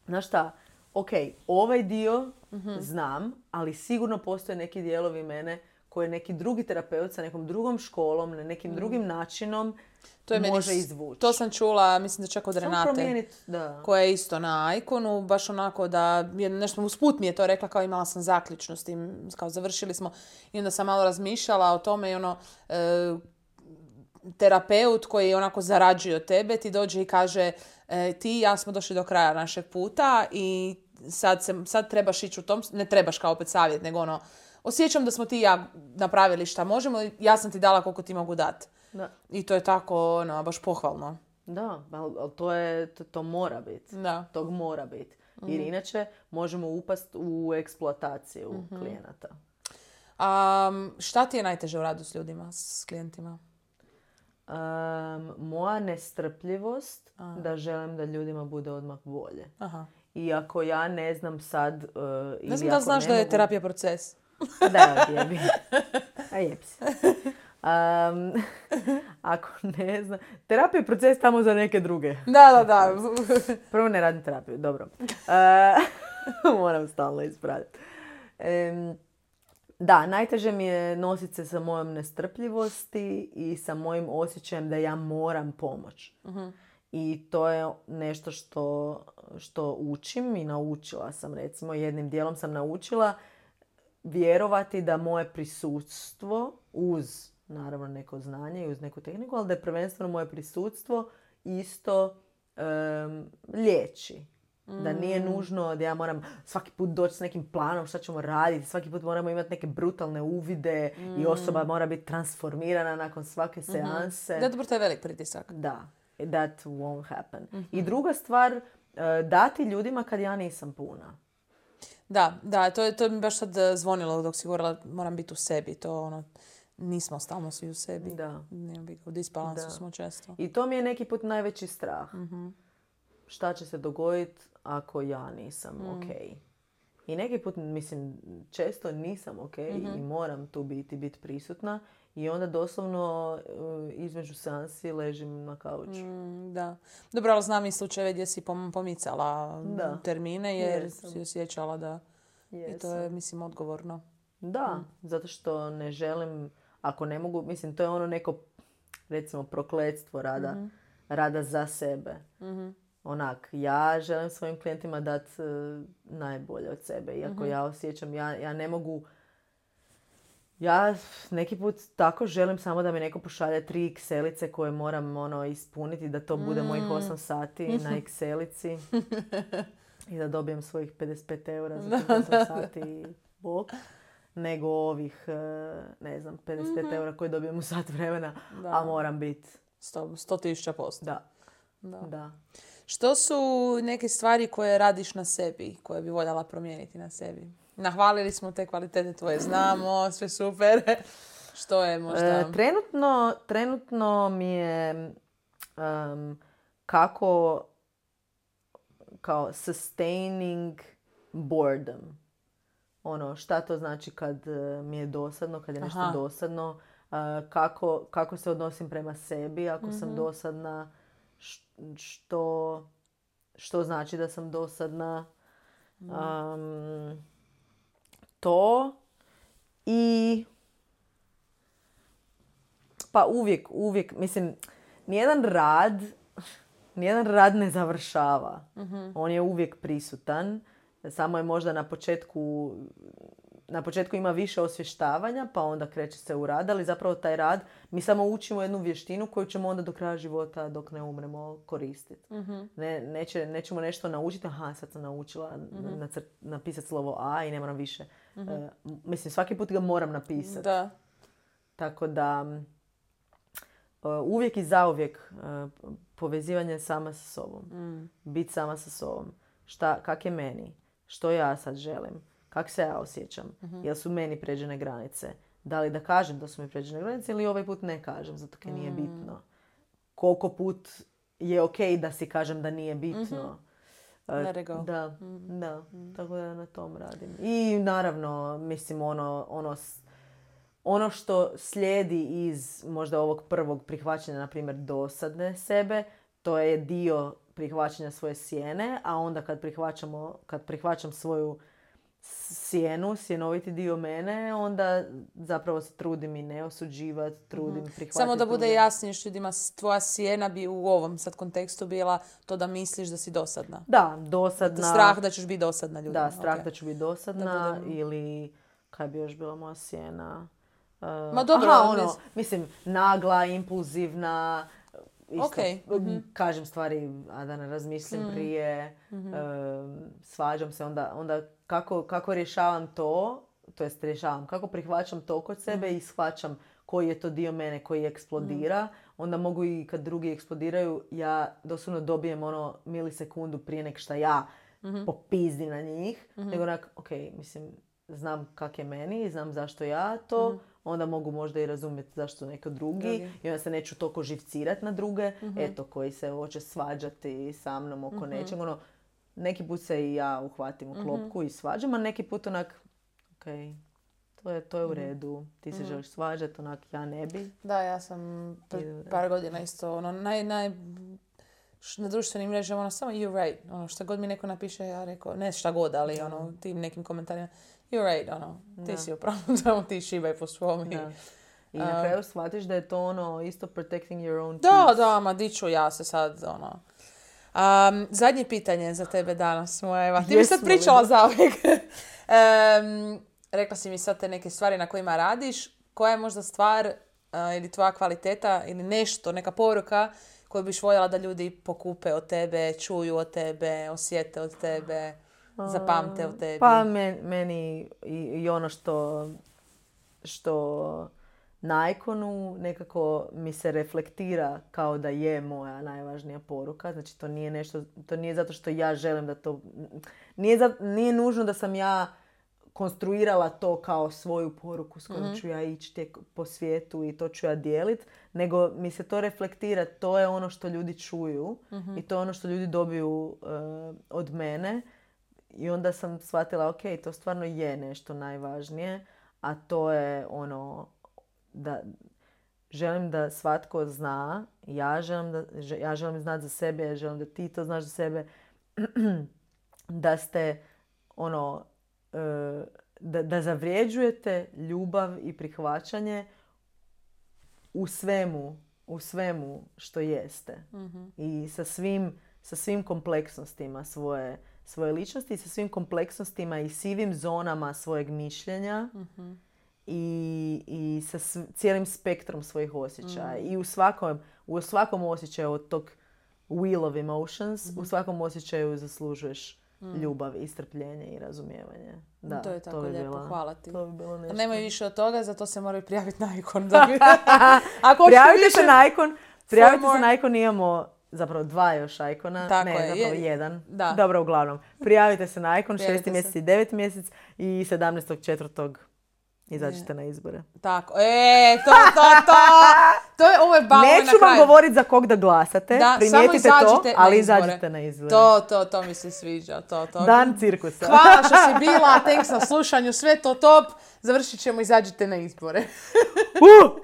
znaš šta, ok, ovaj dio mm-hmm. znam, ali sigurno postoje neki dijelovi mene koje neki drugi terapeut sa nekom drugom školom, na nekim mm. drugim načinom to je može meni, izvući. To sam čula, mislim da čak od Renate, da. koja je isto na Iconu, baš onako da, nešto usput mi je to rekla, kao imala sam zaključno s tim, kao završili smo i onda sam malo razmišljala o tome i ono, e, terapeut koji onako zarađuje od tebe ti dođe i kaže e, ti i ja smo došli do kraja našeg puta i sad, se, sad trebaš ići u tom, ne trebaš kao opet savjet, nego ono, osjećam da smo ti i ja napravili šta možemo, ja sam ti dala koliko ti mogu dati. Da. I to je tako, ono, baš pohvalno. Da, ali to, je, to, to mora biti. Da. Tog mora biti. Jer inače možemo upast u eksploataciju Mm-hmm. klijenata. Um, šta ti je najteže u radu s ljudima, s klijentima? Um, moja nestrpljivost A. da želim da ljudima bude odmah bolje. Aha. Iako ja ne znam sad... Uh, Ne znam da li znaš da je terapija proces. Da, jebi. A jeb si. Um, ako ne znam... Terapija je proces tamo za neke druge. Da, da, da. Prvo ne radim terapiju, dobro. Uh, moram stalno ispraviti. Um, da, najteže mi je nositi se sa mojom nestrpljivosti i sa mojim osjećajem da ja moram pomoć. Uh-huh. I to je nešto što, što učim i naučila sam, recimo, jednim dijelom sam naučila vjerovati da moje prisutstvo uz, naravno, neko znanje i uz neku tehniku, ali da je prvenstveno moje prisutstvo isto um, liječi. Mm. Da nije nužno da ja moram svaki put doći s nekim planom šta ćemo raditi, svaki put moramo imati neke brutalne uvide mm. i osoba mora biti transformirana nakon svake seanse. Mm-hmm. Da, dobro, to je velik pritisak. Da, that won't happen. Mm-hmm. I druga stvar, dati ljudima kad ja nisam puna. Da, da, to je, to mi baš sad zvonilo dok si govorila, moram biti u sebi, to ono, nismo stalno svi u sebi. Da. U disbalansu Da. smo često. I to mi je neki put najveći strah. Mm-hmm. Šta će se dogoditi ako ja nisam mm. ok. I neki put, mislim, često nisam ok mm-hmm. i moram tu biti, biti prisutna. I onda doslovno između seansi ležim na kauču. Mm, da. Dobro, ali znam i slučajeve gdje si pom- pomicala da. termine jer Jesam. si osjećala da... Jesam. I to je, mislim, odgovorno. Da, mm. zato što ne želim, ako ne mogu, mislim, to je ono neko, recimo, prokletstvo rada, mm-hmm. rada za sebe. Mm-hmm. Onak, ja želim svojim klijentima dati uh, najbolje od sebe. Iako mm-hmm. ja osjećam, ja, ja ne mogu... Ja neki put tako želim samo da mi neko pošalje tri Excelice koje moram ono, ispuniti, da to bude mm. mojih osam sati na Excelici i da dobijem svojih pedeset pet eura za tih osam sati i bok. Nego ovih, ne znam, pedeset pet mm-hmm. eura koje dobijem u sat vremena, da. A moram biti... sto tisuća posto. Da. Da. da. Što su neke stvari koje radiš na sebi, koje bi voljela promijeniti na sebi? Nahvalili smo te kvalitete tvoje, znamo, sve super. Što je možda... E, trenutno, trenutno mi je um, kako kao sustaining boredom. Ono, šta to znači kad mi je dosadno, kad je nešto Aha. dosadno. Uh, kako, kako se odnosim prema sebi ako mm-hmm. sam dosadna. Što, što znači da sam dosadna. Um, to i pa uvijek, uvijek, mislim, nijedan rad, nijedan rad ne završava. Mm-hmm. On je uvijek prisutan. Samo je možda na početku, na početku ima više osvještavanja, pa onda kreće se u rad, ali zapravo taj rad, mi samo učimo jednu vještinu koju ćemo onda do kraja života, dok ne umremo, koristiti. Mm-hmm. Ne, neće, nećemo nešto naučiti, aha, sad sam naučila mm-hmm. nacrt, napisati slovo A i ne moram više. Mm-hmm. Uh, mislim, svaki put ga moram napisati. Da. Tako da, uh, uvijek i zauvijek uh, povezivanje sama sa sobom. Mm. Biti sama sa sobom. Šta, kak je meni? Što ja sad želim? Kako se ja osjećam? Mm-hmm. Jel su meni pređene granice? Da li da kažem da su mi pređene granice ili ovaj put ne kažem, zato jer nije bitno. Koliko put je ok da si kažem da nije bitno. Mm-hmm. Let it go. Da, mm-hmm. da. Mm-hmm. Tako da na tom radim. I naravno, mislim, ono, ono, ono što slijedi iz možda ovog prvog prihvaćanja, na primjer, dosadne sebe, to je dio prihvaćanja svoje sjene, a onda kad prihvaćamo, kad prihvaćam svoju sjenu, sjenoviti dio mene, onda zapravo se trudim i ne osuđivati, trudim mm-hmm. prihvatiti. Samo da bude jasnije što ljudima, tvoja sjena bi u ovom sad kontekstu bila to da misliš da si dosadna. Da, dosadna. Da, strah da ćeš biti dosadna ljudima. Da, strah okay. da ću biti dosadna da budem... ili kaj bi još bila moja sjena. Uh, Ma dobro, aha, ali ono, nis- mislim, nagla, impulzivna, isto, Okej, mhm. kažem stvari, a da ne razmislim Mhm. prije, Mhm. um, svađam se, onda, onda kako, kako rješavam to, to jest rješavam, kako prihvaćam to kod sebe Mhm. i shvaćam koji je to dio mene koji eksplodira, onda mogu i kad drugi eksplodiraju, ja doslovno dobijem ono milisekundu prije nek šta ja Mhm. popizdim na njih, Mhm. nego onak, ok, mislim, znam kak je meni, znam zašto ja to, Mhm. onda mogu možda i razumjeti zašto neko drugi, Drugi. i onda se neću toliko živcirati na druge, Mhm. eto, koji se hoće svađati sa mnom oko Mhm. nečeg. Ono, neki put se i ja uhvatim u Mhm. klopku i svađam, a neki put onak, ok, to je, to je u Mhm. redu, ti se Mhm. želiš svađati, onak, ja ne bi. Da, ja sam pred I dobro. par godina isto, ono, naj, naj, š- na društvenim mrežama, ono, samo you're right, ono, šta god mi neko napiše, ja rekao, ne šta god, ali, Da. ono, tim nekim komentarima, you're right, ono, ti Da. si upravo, samo ti šibaj po svom i... Da. I na Um, kraju shvatiš da je to ono isto protecting your own Da, peace. da, ma di ću ja se sad, ono... Um, zadnje pitanje za tebe danas, moja Eva. Ti mi sad Jesmo li? pričala zauvijek. um, rekla si mi sad te neke stvari na kojima radiš. Koja je možda stvar uh, ili tvoja kvaliteta ili nešto, neka poruka koju biš voljela da ljudi pokupe od tebe, čuju od tebe, osjete od tebe, zapamte od tebi? Pa men- meni i, i ono što, što na ikonu nekako mi se reflektira kao da je moja najvažnija poruka. Znači to nije nešto, to nije zato što ja želim da to, nije, za, nije nužno da sam ja konstruirala to kao svoju poruku s kojom Mhm. ću ja ići tijek- po svijetu i to ću ja dijelit, nego mi se to reflektira, to je ono što ljudi čuju Mhm. i to je ono što ljudi dobiju eh, od mene. I onda sam shvatila, ok, to stvarno je nešto najvažnije, a to je ono da želim da svatko zna, ja želim, da, že- ja želim znati za sebe, ja želim da ti to znaš za sebe, da ste ono, e, da, da zavrijeđujete ljubav i prihvaćanje u svemu, u svemu što jeste. Mhm. I sa svim, sa svim kompleksnostima svoje, svoje ličnosti i sa svim kompleksnostima i sivim zonama svojeg mišljenja Mhm. i, i sa sv- cijelim spektrom svojih osjećaja. Mm. I u svakom, u svakom osjećaju od tog wheel of emotions, Mhm. u svakom osjećaju zaslužuješ Mm. ljubav, i strpljenje i razumijevanje. Da, To je tako bi lijepo, bila- hvala ti. To bi bilo nešto. Nemaju više od toga, zato se moraju prijaviti na ikon. Da bi... Ako hoćete Prijavite više... se na ikon. Prijavite more- se na ikon, imamo zapravo dva još ikona. Tako ne, je, zapravo je- jedan. da. Dobro, uglavnom. Prijavite se na ikon, Prijavite šesti se. mjesec i deveti mjesec i sedamnaestog četvrtog izađite na izbore. Tako, e, to, to, to! To je, ovo je bavo na Neću vam kraju. govoriti za kog da glasate, Da, primijetite samo to, izađite na ali izbore. izađite na izbore. To, to, to mi se sviđa, to, to. Dan cirkusa. Hvala što si bila, thanks na slušanju, sve to top. Završit ćemo, izađite na izbore. Uh!